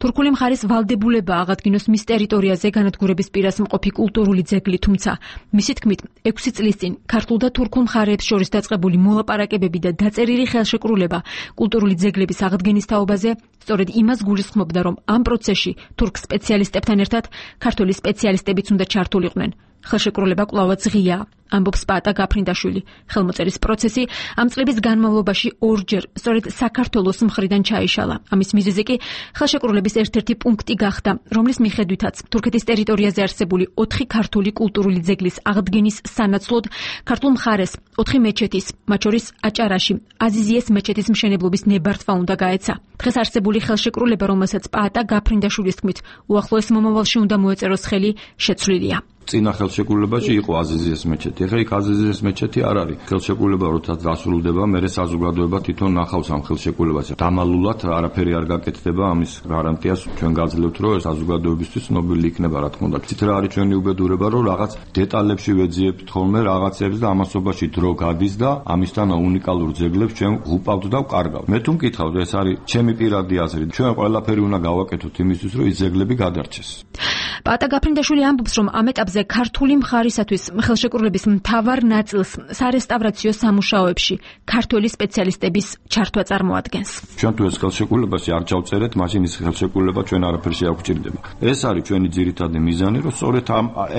თურქული მხარის ვალდებულება აღადგინოს მის ტერიტორიაზე განადგურების პირას მყოფი კულტურული ძეგლი, თუმცა მისი თქმით 6 წლის წინ ქართულ და თურქულ მხარეებს შორის დაწყებული მოლაპარაკებები და დაწერილი ხელშეკრულება კულტურული ძეგლების აღდგენის თაობაზე სწორედ იმას გულისხმობდა, რომ ამ პროცესში თურქ სპეციალისტებთან ერთად ქართული სპეციალისტებიც უნდა ჩართულიყვნენ. ხელშეკრულება კვლავაც ღია, ამბობს პაატა გაფრინდაშვილი. ხელმოწერის პროცესი ამ წლების განმავლობაში ორჯერ სწორედ საქართველოს მხრიდან ჩაიშალა. ამის მიზეზი კი ხელშეკრულების ერთ-ერთი პუნქტი გახდა, რომლის მიხედვითაც თურქეთის ტერიტორიაზე არსებული 4 ქართული კულტურული ძეგლის აღდგენის სანაცვლოდ ქართულ მხარეს 4 მეჩეთის, მათ შორის აჭარაში აზიზიეს მეჩეთის მშენებლობის ნებართვა უნდა გაეცა. დღეს არსებული ხელშეკრულება, რომელსაც პაატა გაფრინდაშვილის თქმით უახლოეს მომავალში უნდა მოეწეროს ხელი, შეცვლილია. წინა ხელშეკრულებაში იყო აზიზიეს მეჩეთი. ეხლა იქ აზიზიეს მეჩეთი არ არის. ხელშეკრულება როდესაც დასრულდება, მერე საზოგადოება თვითონ ნახავს ამ ხელშეკრულებას. დამალულად არაფერი არ გაკეთდება, ამის გარანტიას ჩვენ გაძლევთ, რომ საზოგადოებისთვის ცნობილი იქნება, რა თქმა უნდა. ცით რა არის ჩვენი უბედურება, რომ რაღაც დეტალებში ვეძიებთ ხოლმე რაღაცებს და ამასობაში დრო გადის და ამისთან უნიკალურ ძეგლებს ჩვენ ღუპავთ და ვკარგავთ. მე თუ მკითხავთ, ეს არის ჩემი პირადი აზრი. ჩვენ ყველაფერი უნდა გავაკეთოთ იმისთვის, რომ ის ძეგლები გადარჩეს. პაატა გაფრინდაშვილი ამბობს, რომ ამ ეტაპზე ქართული მხარისათვის ხელშეკრულების მთავარ ნაწილს სარესტავრაციო სამუშაოებში ქართველი სპეციალისტების ჩართვა წარმოადგენს. ჩვენ თუ ეს ხელშეკრულებაში არ ჩავწერეთ, მაშინ ის ხელშეკრულება ჩვენ არაფერში არ გვჭირდება. ეს არის ჩვენი ძირითადი მიზანი, რომ სწორედ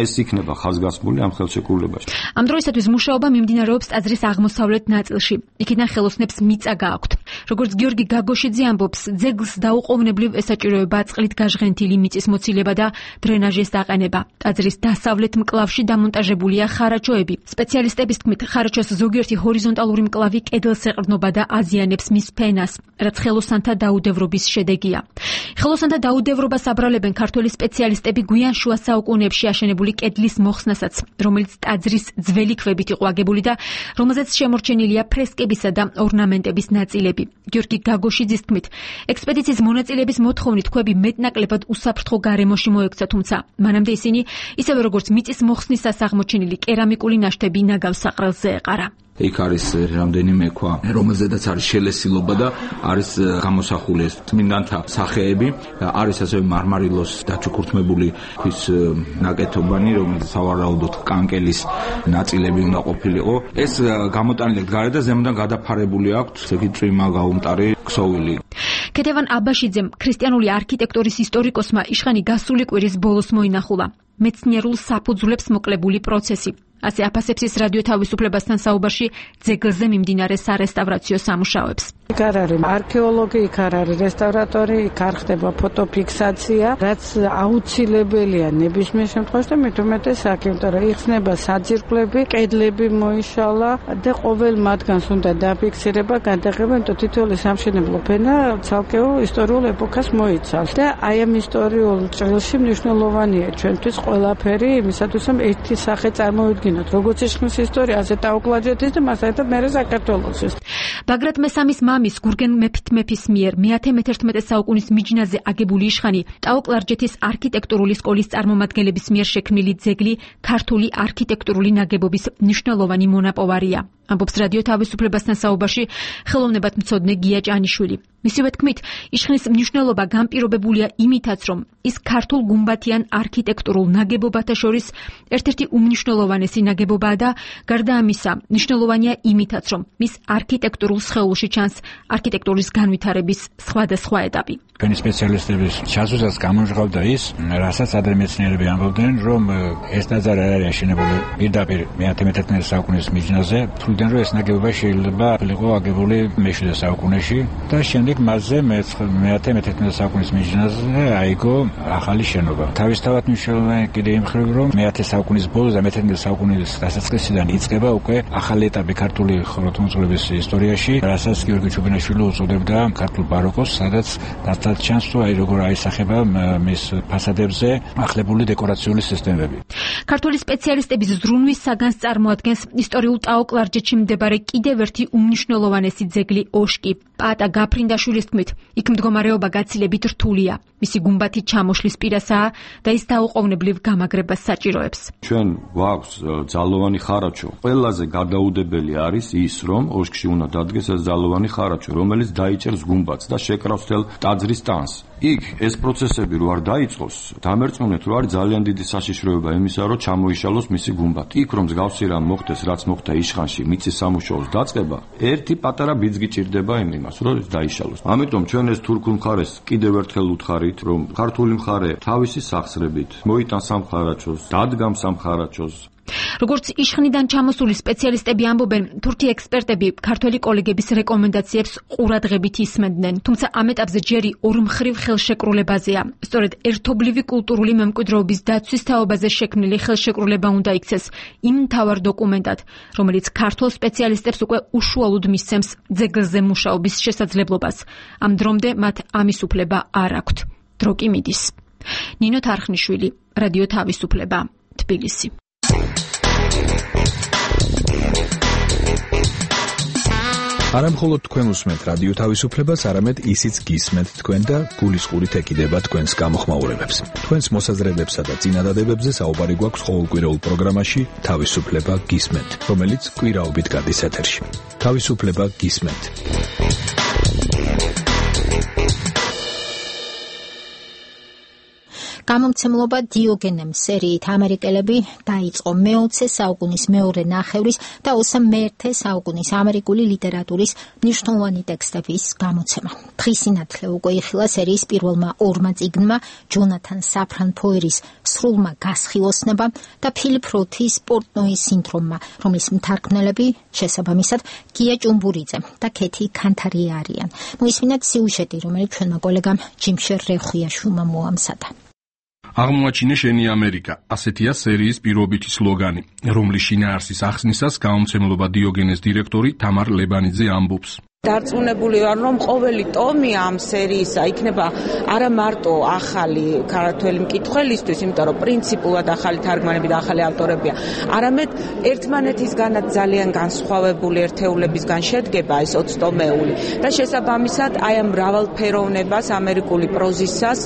ეს იქნება ხაზგასმული ამ ხელშეკრულებაში. ამ დროისათვის მუშაობა მიმდინარეობს ტაძრის აღმოსავლეთ ნაწილში. იქიდან ხელოსნებს მიწა გააქვთ. როგორც გიორგი გაგოშიძე ამბობს, ძეგლს დაუყოვნებლივ ესაჭიროება წყლით გაჟღენთილი მიწის მოცილება და დრენაჟის დაყენება. ტაძრის დასავლეთ მკლავში დამონტაჟებულია ხარაჩოები. სპეციალისტების თქმით, ხარაჩოს ზოგიერთი ჰორიზონტალური მკლავი კედელს ეყრდნობა და აზიანებს მის ფენას, რაც ხელოსანთა დაუდევრობის შედეგია. ხელოსანთა დაუდევრობას აბრალებენ ქართველი სპეციალისტები გვიან შუა საუკუნეებში აშენებული კედლის მოხსნასაც, რომელიც ტაძრის ძველი ქვებით იყო აგებული და რომელზეც შემორჩენილია ფრესკებისა და ორნამენტების ნაწილები. გიორგი გაგოშიძის თქმით, ექსპედიციის მონაწილეების მოთხოვნით ქვები მეტნაკლებად უსაფრთხო გარემოში მოექცა, თუმცა მანამდე ისინი, ისევე როგორც მიწის მოხსნისას აღმოჩენილი კერამიკული ნაშთები ნაგავს საყრელზე ეყარა. იქ არის რამდენიმე ქვა, რომელზედაც არის შელესილობა და არის გამოსახული ეს წმინდანთა სახეები, არის ასევე მარმარილოს დაჩუქურთმებული ქვის ნაკეთობანი, რომელიც სავარაუდოდ კანკელის ნაწილები უნდა ყოფილიყო. ეს გამოტანილი გარე და ზემოდან გადაფარებული აქვს ესეთი წვიმა გაუმტარი ქსოვილი. ქეთევან აბაშიძემ ქრისტიანული არქიტექტურის ისტორიკოსმა იშხანი გასული კვირის ბოლოს მოინახულა მეცნიერულ საფუძვლებს მოკლებული პროცესი. ასე აფასებს ის რადიო თავისუფლებასთან საუბარში ძეგლზე მიმდინარე სარესტავრაციო სამუშაოებს. იქ არ არის არქეოლოგი, იქ არ არის რესტავრატორი, იქ არ ხდება ფოტოფიქსაცია, რაც აუცილებელია ნებისმიერ შემთხვევაში და მით უმეტეს აქ, იმიტომ რომ იხსნება საძირკვლები, კედლები მოიშალა და ყოველ მათგანს უნდა დაფიქსირება, გადაღება, იმიტომ თითოეული სამშენებლო ფენა ცალკეულ ისტორიულ ეპოქას მოიცავს. და აი ამ ისტორიულ ჭრილში მნიშვნელოვანია ჩვენთვის ყველაფერი, იმისათვის რომ ერთი სახე წარმოვიდგინოთ, როგორც იშხნის ისტორია, ასე ტაო-კლარჯეთის და მასაერთად მერე საქართველოსის. ბაგრატ მესამის მამის გურგენ მეფის მიერ მე-11 საუკუნის მიჯნაზე აგებული იშხანი ტაო-კლარჯეთის არქიტექტურული სკოლის წარმომადგენლების მიერ შექმნილი ძეგლი ქართული არქიტექტურული ნაგებობის მნიშვნელოვანი მონაპოვარია. ამბობს რადიო თავისუფლებასთან საუბარში ხელოვნებათმცოდნე გია ჭანიშვილი. მისივე თქმით, იშხნის მნიშვნელობა განპირობებულია იმითაც, რომ ის ქართულ გუმბათიან არქიტექტურულ ნაგებობათა შორის ერთ-ერთი უმნიშვნელოვანესი ნაგებობაა და გარდა ამისა, მნიშვნელოვანია იმითაც, რომ მის არქიტექტურულ სხეულში ჩანს არქიტექტურის განვითარების სხვადასხვა ეტაპი. ჩვენი სპეციალისტების ჩასვლისას გამოჟღავდა ის, რასაც ადრე მეცნიერები ამბობდნენ, რომ ეს ტაძარი არ არის აშენებული პირდაპირ მე-11 საუკუნის მიჯნაზე, თვლიდან რომ ეს ნაგებობა შეიძლება იყო აგებული მე-7 საუკუნეში და შემდეგ მასზე მე-11 საუკუნის მიჯნაზე აიგო ახალი შენობა. თავისთავად მნიშვნელოვანი კიდე იმ მხრივ, რომ მე-10 საუკუნის ბოლოს და მე-11 საუკუნის დასაწყისიდან იწყება უკვე ახალი ეტაპი ქართული ხუროთმოძღვრების ისტორიაში, რასაც გიორგი ჩუბინაშვილი უწოდებდა ქართულ ბაროკოს, სადაც დასტათ ჩანს თუ აი როგორ აისახება მის ფასადებზე ახლებული დეკორაციული სისტემები. ქართული სპეციალისტების ზრუნვის საგანს წარმოადგენს ისტორიულ ტაო-კლარჯეთში მდებარე კიდევ ერთი უმნიშვნელოვანესი ძეგლი ოშკი. პაატა გაფრინდაშვილის თქმით, იქ მდგომარეობა გაცილებით რთულია. მისი გუმბათი ჩამოშლის პირასაა და ის დაუყოვნებლივ გამაგრებას საჭიროებს. ჩვენ გვაქვს ძალოვანი ხარაჩო. ყველაზე გადაუდებელი არის ის, რომ ოშკში უნდა დადგეს ეს ძალოვანი ხარაჩო, რომელიც დაიჭერს გუმბათს და შეკრავს თელ ტაძრის ტანს. იქ ეს პროცესები რო არ დაიწყოს, დამერწმუნეთ რომ არის ძალიან დიდი საშიშროება იმისა, რომ ჩამოიშალოს მისი გუმბათი. იქ რომ მსგავსი რამ მოხდეს, რაც მოხდა იშხანში მიწის სამუშაოს დაწყება, ერთი პატარა ბიძგი ჭირდება იმას, რომ დაიშალოს. ამიტომ ჩვენ ეს თურქულ მხარეს კიდევ ერთხელ უთხარით, რომ ქართული მხარე თავისი სახსრებით მოიტანს ამ ხარაჩოს, დადგამს ამ ხარაჩოს. როგორც იშხნიდან ჩამოსული სპეციალისტები ამბობენ, თურქი ექსპერტები ქართველი კოლეგების რეკომენდაციებს ყურადღებით ისმენდნენ, თუმცა ამ ეტაპზე ჯერი ორმხრივ ხელშეკრულებაზეა. სწორედ ერთობლივი კულტურული მემკვიდრეობის დაცვის თაობაზე შექმნილი ხელშეკრულება უნდა იქცეს იმ მთავარ დოკუმენტად, რომელიც ქართულ სპეციალისტებს უკვე უშუალოდ მისცემს ძეგლზე მუშაობის შესაძლებლობას. ამ დრომდე მათ ამის უფლება არ აქვთ. დრო კი მიდის. ნინო თარხნიშვილი, რადიო თავისუფლება, თბილისი. არა მხოლოდ თქვენ უსმენთ რადიო თავისუფლებას, არამედ ისიც გისმენთ თქვენ და გულისყურით ეკიდება თქვენს გამოხმაურებებს. თქვენს მოსაზრებებსა და წინადადებებზე საუბარი გვაქვს ყოველკვირეულ პროგრამაში თავისუფლება გისმენთ, რომელიც კვირაობით გადის ეთერში. თავისუფლება გისმენთ. გამომცემლობა დიოგენემ სერიით ამერიკელები დაიწყო მე-20 საუკუნის მეორე ნახევრის და 21 საუკუნის ამერიკული ლიტერატურის მნიშვნელოვანი ტექსტების გამოცემა. დღის სინათლე უკვე იხილა სერიის პირველმა ორმა წიგნმა, ჯონათან საფრან ფოერის სრულმა გასხივოსნებამ და ფილიპ როთის პორტნოის სინდრომმა, რომლის მთარგმნელები შესაბამისად გია ჭუმბურიძე და ქეთი ქანთარია არიან. მოისმინეთ სიუჟეტი, რომელიც ჩვენმა კოლეგამ ჯიმშერ რეხვიაშვილმა მოამზადა. აღმოაჩინე შენი ამერიკა, ასეთია სერიის პირობითი სლოგანი, რომლის შინაარსის ახსნისას გამომცემლობა დიოგენეს დირექტორი თამარ ლებანიძე ამბობს. დარწმუნებული ვარ, რომ ყოველი ტომი ამ სერიისა იქნება არა მარტო ახალი ქართველი მკითხველისთვის, იმიტომ რომ პრინციპულად ახალი თარგმანები და ახალი ავტორებია, არამედ ერთმანეთისგანაც ძალიან განსხვავებული ერთეულებისგან შედგება ეს 20 ტომეული და შესაბამისად აი ამ მრავალფეროვნებას ამერიკული პროზისას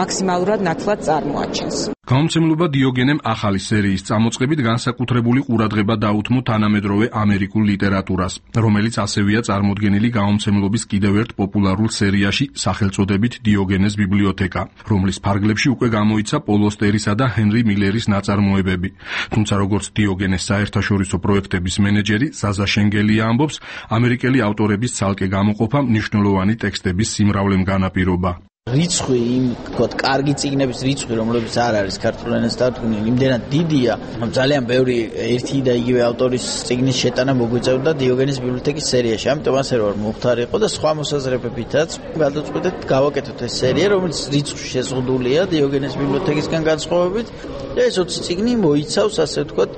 მაქსიმალურად ნათლად წარმოაჩენს. გამომცემლობა დიოგენემ ახალი სერიის წამოწყებით განსაკუთრებული ყურადღება დაუთმო თანამედროვე ამერიკულ ლიტერატურას, რომელიც ასევეა წარმოდგენილი გამომცემლობის კიდევ ერთ პოპულარულ სერიაში სახელწოდებით დიოგენეს ბიბლიოთეკა, რომლის ფარგლებში უკვე გამოიცა პოლ ოსტერისა და ჰენრი მილერის ნაწარმოებები. თუმცა როგორც დიოგენეს საერთაშორისო პროექტების მენეჯერი ზაზა შენგელია ამბობს, ამერიკელი ავტორების ცალკე გამოყოფა მნიშვნელოვანი ტექსტების სიმრავლემ განაპირობა. რიცხვი იმ თქოთ კარგი წიგნების რიცხვი, რომლებიც არ არის ქართულ ენაზე დადგმული, იმდენად დიდია, რომ ძალიან ბევრი ერთი და იგივე ავტორის წიგნის შეტანა მოგვიწევდა დიოგენეს ბიბლიოთეკის სერიაში. ამიტომ ასე რომ მუხტარი იყო და სხვა მოსაზრებებითაც გადაწყვეტეთ გავაკეთოთ ეს სერია, რომელიც რიცხვში შეზღუდულია დიოგენეს ბიბლიოთეკისგან განსხვავებით და ეს 20 წიგნი მოიცავს ასე ვთქვათ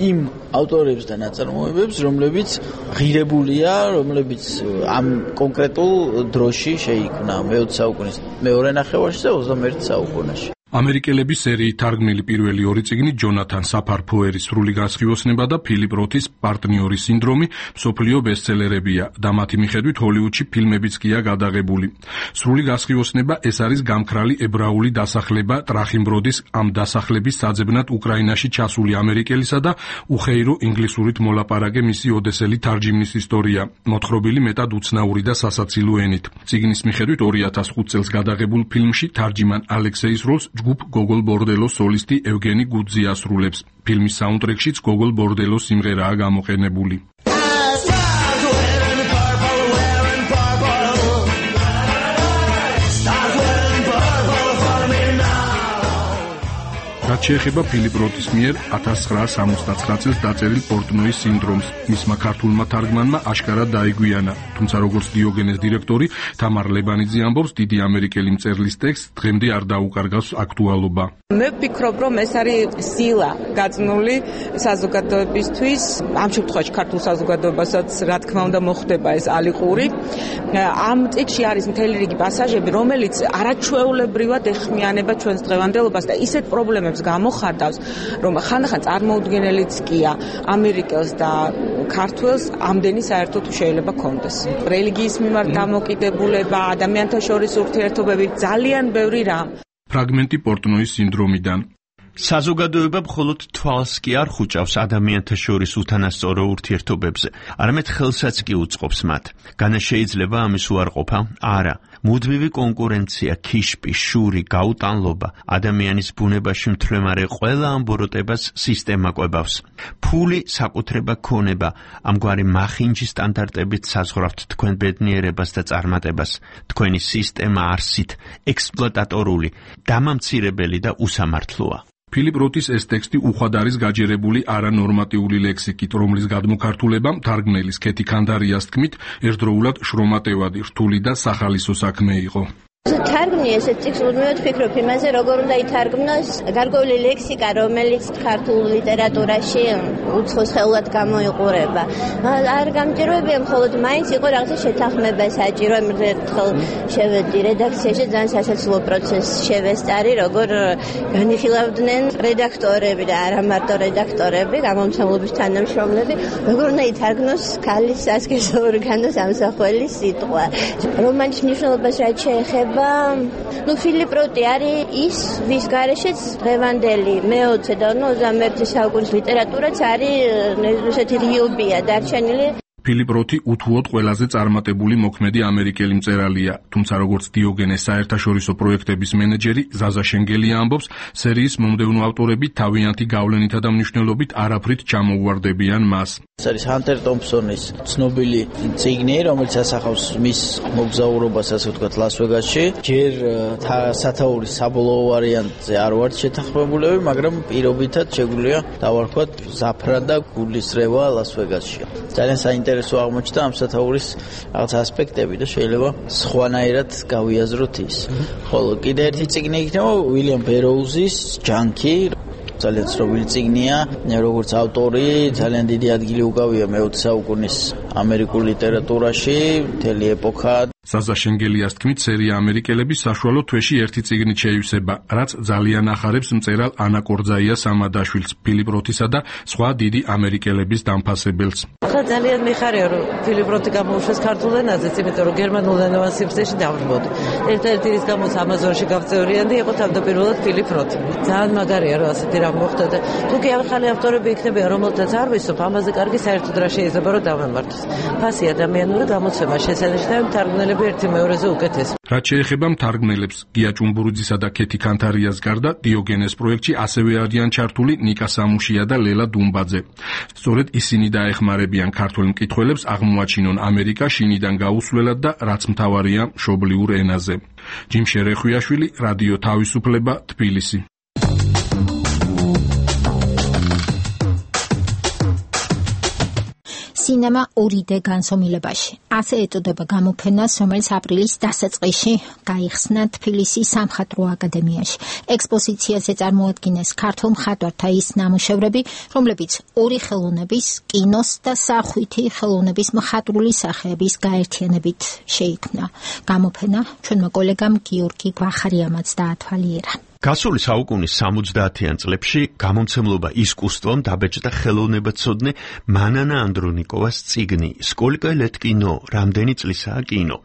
იმ ავტორებს და ნაწარმოებებს, რომლებიც ღირებულია, რომლებიც ამ კონკრეტულ დროში შეიქმნა მე-20 საუკუნის მეორე ნახევარში და 21 საუკუნეში. ამერიკელების სერიით თარგმნილი პირველი ორი წიგნი ჯონათან საფარ ფოერის სრული გასხივოსნება და ფილიპ როთის პარტნიორის სინდრომი მსოფლიო ბესტსელერებია და მათი მიხედვით ჰოლივუდში ფილმებიც გია გადაღებული. სრული გასხივოსნება ეს არის გამქრალი ებრაული დასახლება ტრახიმბროდის ამ დასახლების საძებნად უკრაინაში ჩასული ამერიკელისა და უხეირო ინგლისურით მოლაპარაკე მისი ოდესელი თარჯიმნის ისტორია, მოთხრობილი მეტად უცნაური და სასაცილო ენით. წიგნის მიხედვით 2005 წელს გადაღებულ ფილმში თარჯიმან ალექსეის როლს ჯგუფ გოგოლ ბორდელოს სოლისტი ევგენი გუძი ასრულებს. ფილმის საუნდტრეკშიც გოგოლ ბორდელოს სიმღერაა გამოყენებული. რაც შეეხება ფილიპ როთის მიერ 1969 წელს დაწერილ პორტნოის სინდრომს, მისმა ქართულმა თარგმანმა აშკარად დაიგვიანა, თუმცა როგორც დიოგენეს დირექტორი თამარ ლებანიძე ამბობს, დიდი ამერიკელი მწერლის ტექსტს დღემდე არ დაუკარგავს აქტუალობა. მე ვფიქრობ, რომ ეს არის სილა გაწნული საზოგადოებისთვის, ამ შემთხვევაში ქართულ საზოგადოებასაც რა თქმა უნდა მოხდება ეს ალიყური. ამ ტექსტში არის მთელი რიგი პასაჟები, რომელიც არაჩვეულებრივად ეხმიანება ჩვენს დღევანდელობას და ისეთ პრობლემებს გამოხატავს, რომ ხანდახან წარმოუდგენელიც კია ამერიკელს და ქართველს ამდენი საერთოდ შეიძლება კონდეს. რელიგიის მიმართ დამოკიდებულება, ადამიანთა შორის ურთიერთობები, ძალიან ბევრი რამ. ფრაგმენტი პორტნოის სინდრომიდან. საზოგადოება მხოლოდ თვალს კი არ ხუჭავს ადამიანთა შორის უთანასწორო ურთიერთობებზე, არამედ ხელსაც კი უწყობს მათ. განა შეიძლება ამის უარყოფა? არა. მუდმივი კონკურენცია, ქიშპი, შური, გაუტანლობა, ადამიანის ბუნებაში მთლემარე ყველა ამბოროტებას სისტემა კვებავს. ფული, საკუთრება, ქონება, ამგვარი მახინჯი სტანდარტებით საზღვრავთ თქვენ ბედნიერებას და წარმატებას. თქვენი სისტემა არსით, ექსპლუატატორული, დამამცირებელი და უსამართლოა. ფილიპ როთის ეს ტექსტი უხვად არის გაჯერებული არანორმატიული ლექსიკით, რომლის გადმოქართულება თარგმნელის ქეთი ქანდარიას თქმით, ერთდროულად შრომატევადი, რთული და სახალისო საქმე იყო. თარგმნი ესეთ ტექსტს უდმევად ვფიქრობ იმაზე, როგორ უნდა ითარგმნოს გარკვეული ლექსიკა, რომელიც ქართულ ლიტერატურაში უცხოს ხელად გამოიყურება. არ გამჭიროებია მხოლოდ მაინც იყო რაღაცა შეთანხმება საჭირო, ერთხელ შევედი რედაქციაში, ძალიან სასაცილო პროცესს შევესწარი, როგორ განიხილავდნენ რედაქტორები და არა მარტო რედაქტორები, გამომცემლობის თანამშრომლები, როგორ უნდა ითარგმნოს ქალის სასქესო ორგანოს ამსახველი სიტყვა. რომანის მნიშვნელობას რაც შეეხება ფილიპ როტი არის ის, ვის გარეშეც დღევანდელი მე-20 და 21 საუკუნის ლიტერატურაც არის ესეთი რიობია დარჩენილი. ფილიპ როთი უთუოდ ყველაზე წარმატებული მოქმედი ამერიკელი მწერალია, თუმცა როგორც დიოგენეს საერთაშორისო პროექტების მენეჯერი ზაზა შენგელია ამბობს, სერიის მომდევნო ავტორები თავიანთი გავლენითა და მნიშვნელობით არაფრით ჩამოუვარდებიან მას. ეს არის ჰანტერ ტომპსონის ცნობილი წიგნი, რომელიც ასახავს მის მოგზაურობას, ასე ვთქვათ, ლას-ვეგასში. ჯერ სათაურის საბოლოო ვარიანტზე არ ვართ შეთანხმებულები, მაგრამ პირობითად შეგვიძლია დავარქვათ ზაფრა და გულისრევა ლას-ვეგასში. ძალიან საინტერესო აღმოჩნდა ამ სათაურის რაღაც ასპექტები და შეიძლება სხვანაირად გავიაზროთ ის. ხოლო კიდე ერთი წიგნი იქნება უილიამ ბეროუზის ჯანკი. ძალიან ცნობილი წიგნია, როგორც ავტორი, ძალიან დიდი ადგილი უკავია მე-20 საუკუნის ამერიკულ ლიტერატურაში, მთელი ეპოქა. ზაზა შენგელიას თქმით, სერია ამერიკელები საშუალო თვეში ერთი წიგნით შეივსება, რაც ძალიან ახარებს მწერალ ანა კორძაიას ამადაშვილს, ფილიპ როთისა და სხვა დიდი ამერიკელების დამფასებელს. ახლა ძალიან მიხარია, რომ ფილიპ როთი გამოუშვეს ქართულ ენაზეც, იმიტომ რომ გერმანულ ენოვან სივრცეში დავრბოდი. ერთ-ერთი რის გამოც ამაზონში გავწევრიანდი, იყო თავდაპირველად ფილიპ როთი. ძალიან მაგარია, რომ ასეთი რამ მოხდა და თუ კი ახალი ავტორები იქნებიან, რომელთაც არ ვისწრებ, ამაზე კარგი საერთოდ რა შეიძლება რომ დავამართოს. ფასი ადამიანური გამოცემა შესანიშნავი მთარგმნელები ერთი მეორეზე უკეთეს. რაც შეეხება მთარგმნელებს, გია ჭუმბურიძისა და ქეთი კანთარიას გარდა დიოგენეს პროექტში ასევე არიან ჩართული ნიკა სამუშია და ლელა დუმბაძე. სწორედ ისინი დაეხმარებიან ქართველ მკითხველებს აღმოაჩინონ ამერიკა შინიდან გაუსვლელად და რაც მთავარია მშობლიურ ენაზე. ჯიმ შერეხვიაშვილი, რადიო თავისუფლება, თბილისი. სინემა 2D განსომილებაში. ასე ეწოდება გამოფენას, რომელიც აპრილის დასაწყისში გაიხსნა თბილისის სამხატვრო აკადემიაში. ექსპოზიციაზე წარმოადგინეს ქართულ მხატვართა ის ნამუშევრები, რომლებიც ორი ხელოვნების, კინოს და სახვითი ხელოვნების მხატვრული სახეების გაერთიანებით შეიქმნა. გამოფენა ჩვენმა კოლეგამ გიორგი გვახარიამაც დაათვალიერა. გასული საუკუნის 70-იან წლებში გამომცემლობა ისკუსტვამ დაბეჭდა ხელოვნებაცოდნე მანანა ანდრონიკოვას წიგნი „სკოლიკა ლეთ კინო, რამდენი წლისაა კინო“,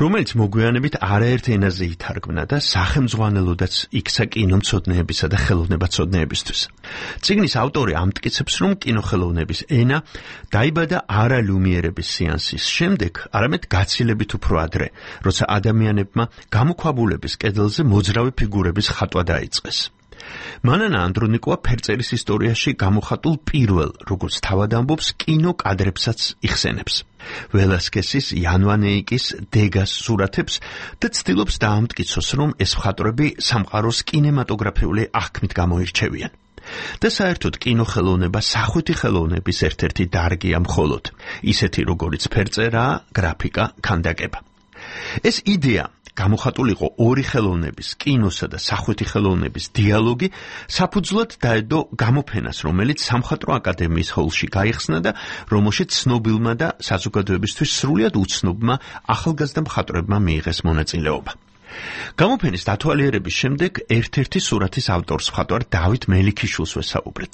რომელიც მოგვიანებით არაერთ ენაზე ითარგმნა და სახელმძღვანელოდაც იქცა კინომცოდნეებისა და ხელოვნებაცოდნეებისთვის. წიგნის ავტორი ამტკიცებს, რომ კინოხელოვნების ენა დაიბადა არა ლუმიერების სეანსის შემდეგ, არამედ გაცილებით უფრო ადრე, როცა ადამიანებმა გამოქვაბულების კედელზე მოძრავი ფიგურების ხატვა დაიწყეს. მანანა ანდრონიკოვა ფერწერის ისტორიაში გამოხატულ პირველ, როგორც თავად ამბობს, კინოკადრებსაც იხსენებს. ველასკესის, იანვანეიკის, დეგას სურათებს და ცდილობს დაამტკიცოს, რომ ეს მხატვრები სამყაროს კინემატოგრაფიული აღქმით გამოირჩევიან. და საერთოდ კინოხელოვნება სახვითი ხელოვნების ერთ-ერთი დარგია მხოლოდ, ისეთი როგორიც ფერწერა, გრაფიკა, ქანდაკება. ეს იდეა გამოხატულიყო ორი ხელოვნების, კინოსა და სახვითი ხელოვნების დიალოგი, საფუძვლად დაედო გამოფენას, რომელიც სამხატვრო აკადემიის ჰოლში გაიხსნა და რომელშიც ცნობილმა და საზოგადოებისთვის სრულიად უცნობმა ახალგაზრდა მხატვრებმა მიიღეს მონაწილეობა. გამოფენის დათვალიერების შემდეგ ერთ-ერთი სურათის ავტორს მხატვარ დავით მელიქიშვილს ვესაუბრეთ.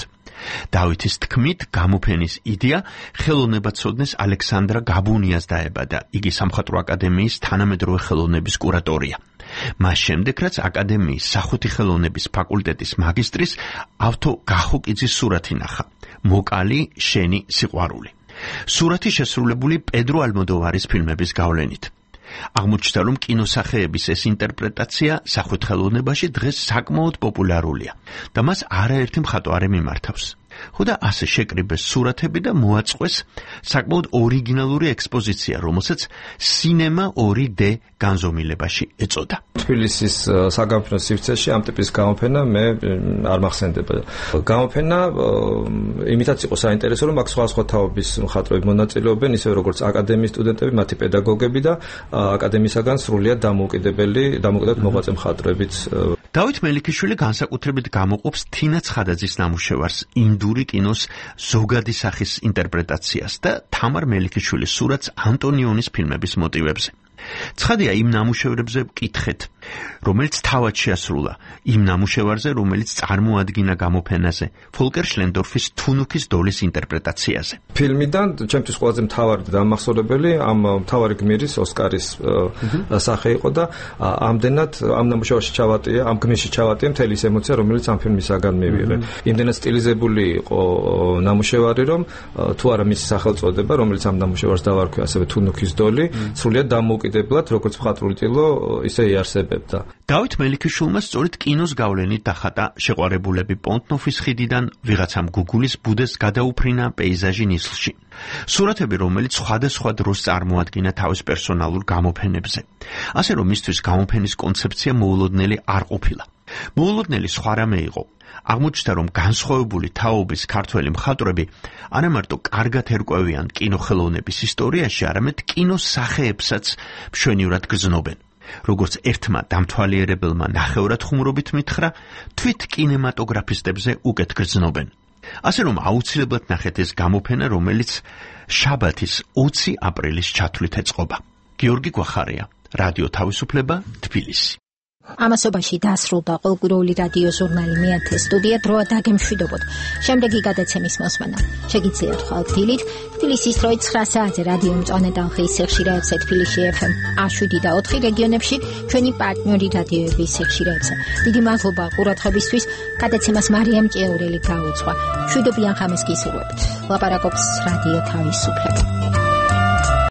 დავითის თქმით, გამოფენის იდეა ხელოვნებაცოდნეს ალექსანდრა გაბუნიას დაებადა. იგი სამხატვრო აკადემიის თანამედროვე ხელოვნების კურატორია. მას შემდეგ, რაც აკადემიის სახვითი ხელოვნების ფაკულტეტის მაგისტრის ავთო გახოკიძის სურათი ნახა. მოკალი, შენი სიყვარული. სურათი შესრულებული პედრო ალმოდოვარის ფილმების გავლენით. აღმოჩნდა, რომ კინოსახეების ეს ინტერპრეტაცია სახვით ხელოვნებაში დღეს საკმაოდ პოპულარულია და მას არაერთი მხატვარი მიმართავს. ხოდა ასე შეკრიბეს სურათები და მოაწყვეს საკმაოდ ორიგინალური ექსპოზიცია, რომელსაც სინემა 2D განზომილებაში ეწოდა. თბილისის საგამოფენო სივრცეში ამ ტიპის გამოფენა მე არ მახსენდება. გამოფენა იმითაც იყო საინტერესო, რომ აქ სხვა თაობის მხატვრები მონაწილეობენ, ისე როგორც აკადემიის სტუდენტები, მათი პედაგოგები და აკადემიისაგან სრულიად დამოუკიდებელი მოღვაწე მხატვრებიც. დავით მელიქიშვილი განსაკუთრებით გამოყოფს თინა ცხადაძის ნამუშევარს ინდური კინოს ზოგადი სახის ინტერპრეტაციას და თამარ მელიქიშვილის სურათს ანტონიონის ფილმების მოტივებზე. ცხადია, იმ ნამუშევრებზე ვკითხეთ, რომელიც თავად შეასრულა იმ ნამუშევარზე, რომელიც წარმოადგინა გამოფენაზე ფოლკერ შლენდორფის თუნუქის დოლის ინტერპრეტაციაზე. ფილმიდან ჩემთვის ყველაზე მთავარი დამახსოვრებელი ამ მთავარი გმირის ოსკარის სახე იყო და ამდენად ამ ნამუშევარში ჩავატია, ამ გმირში ჩავატია მთელი ის ემოცია, რომელიც ამ ფილმისაგან მივიღე. იმდენად სტილიზებული იყო ნამუშევარი, რომ თუ არა მისი სახელწოდება, რომელიც ამ ნამუშევარს დავარქვი ასევე თუნუქის დოლი, სრულიად დამოუკიდებლად, როგორც მხატვრული ტილო, ისე იარსებებდა. დავით მელიქიშვილმა სწორედ კინოს გავლენით დახატა შეყვარებულები პონტნოფის ხიდიდან ვიღაცამ გუგულის ბუდეს გადაუფრინა პეიზაჟი ნისლში. სურათები, რომელიც სხვადასხვა დროს წარმოადგინა თავის პერსონალურ გამოფენებზე. ასე რომ მისთვის გამოფენის კონცეფცია მოულოდნელი არ ყოფილა. მოულოდნელი სხვა რამე იყო. აღმოჩნდა, რომ განსხვავებული თაობის ქართველი მხატვრები არა მარტო კარგად ერკვევიან კინოხელოვნების ისტორიაში, არამედ კინოს სახეებსაც მშვენივრად გრძნობენ. როგორც ერთმა დამთვალიერებელმა ნახევრად ხუმრობით მითხრა, თვით კინემატოგრაფისტებზე უკეთ გრძნობენ. ასე რომ აუცილებლად ნახეთ ეს გამოფენა, რომელიც შაბათის 20 აპრილის ჩათვლით ეწყობა. გიორგი გვახარია, რადიო თავისუფლება, თბილისი. ამასობაში დასრულდა ყოველკვირეული რადიო ჟურნალი მეათე სტუდია დროა დაგემშვიდობოთ. შემდეგი გადაცემის მოსმენა შეგიძლიათ ხვალ დილით თბილისის დროით 9 საათზე რადიო მწვანე ტალღის სიხშირეებზე თბილისში FM 7 და 4 რეგიონებში ჩვენი პარტნიორი რადიოების სიხშირეებზე. დიდი მადლობა ყურადღებისთვის. გადაცემას მარიამ ჭეურელი გაუძღვა. მშვიდობიან ხამეს გისურვებთ. ლაპარაკობს რადიო თავისუფლება.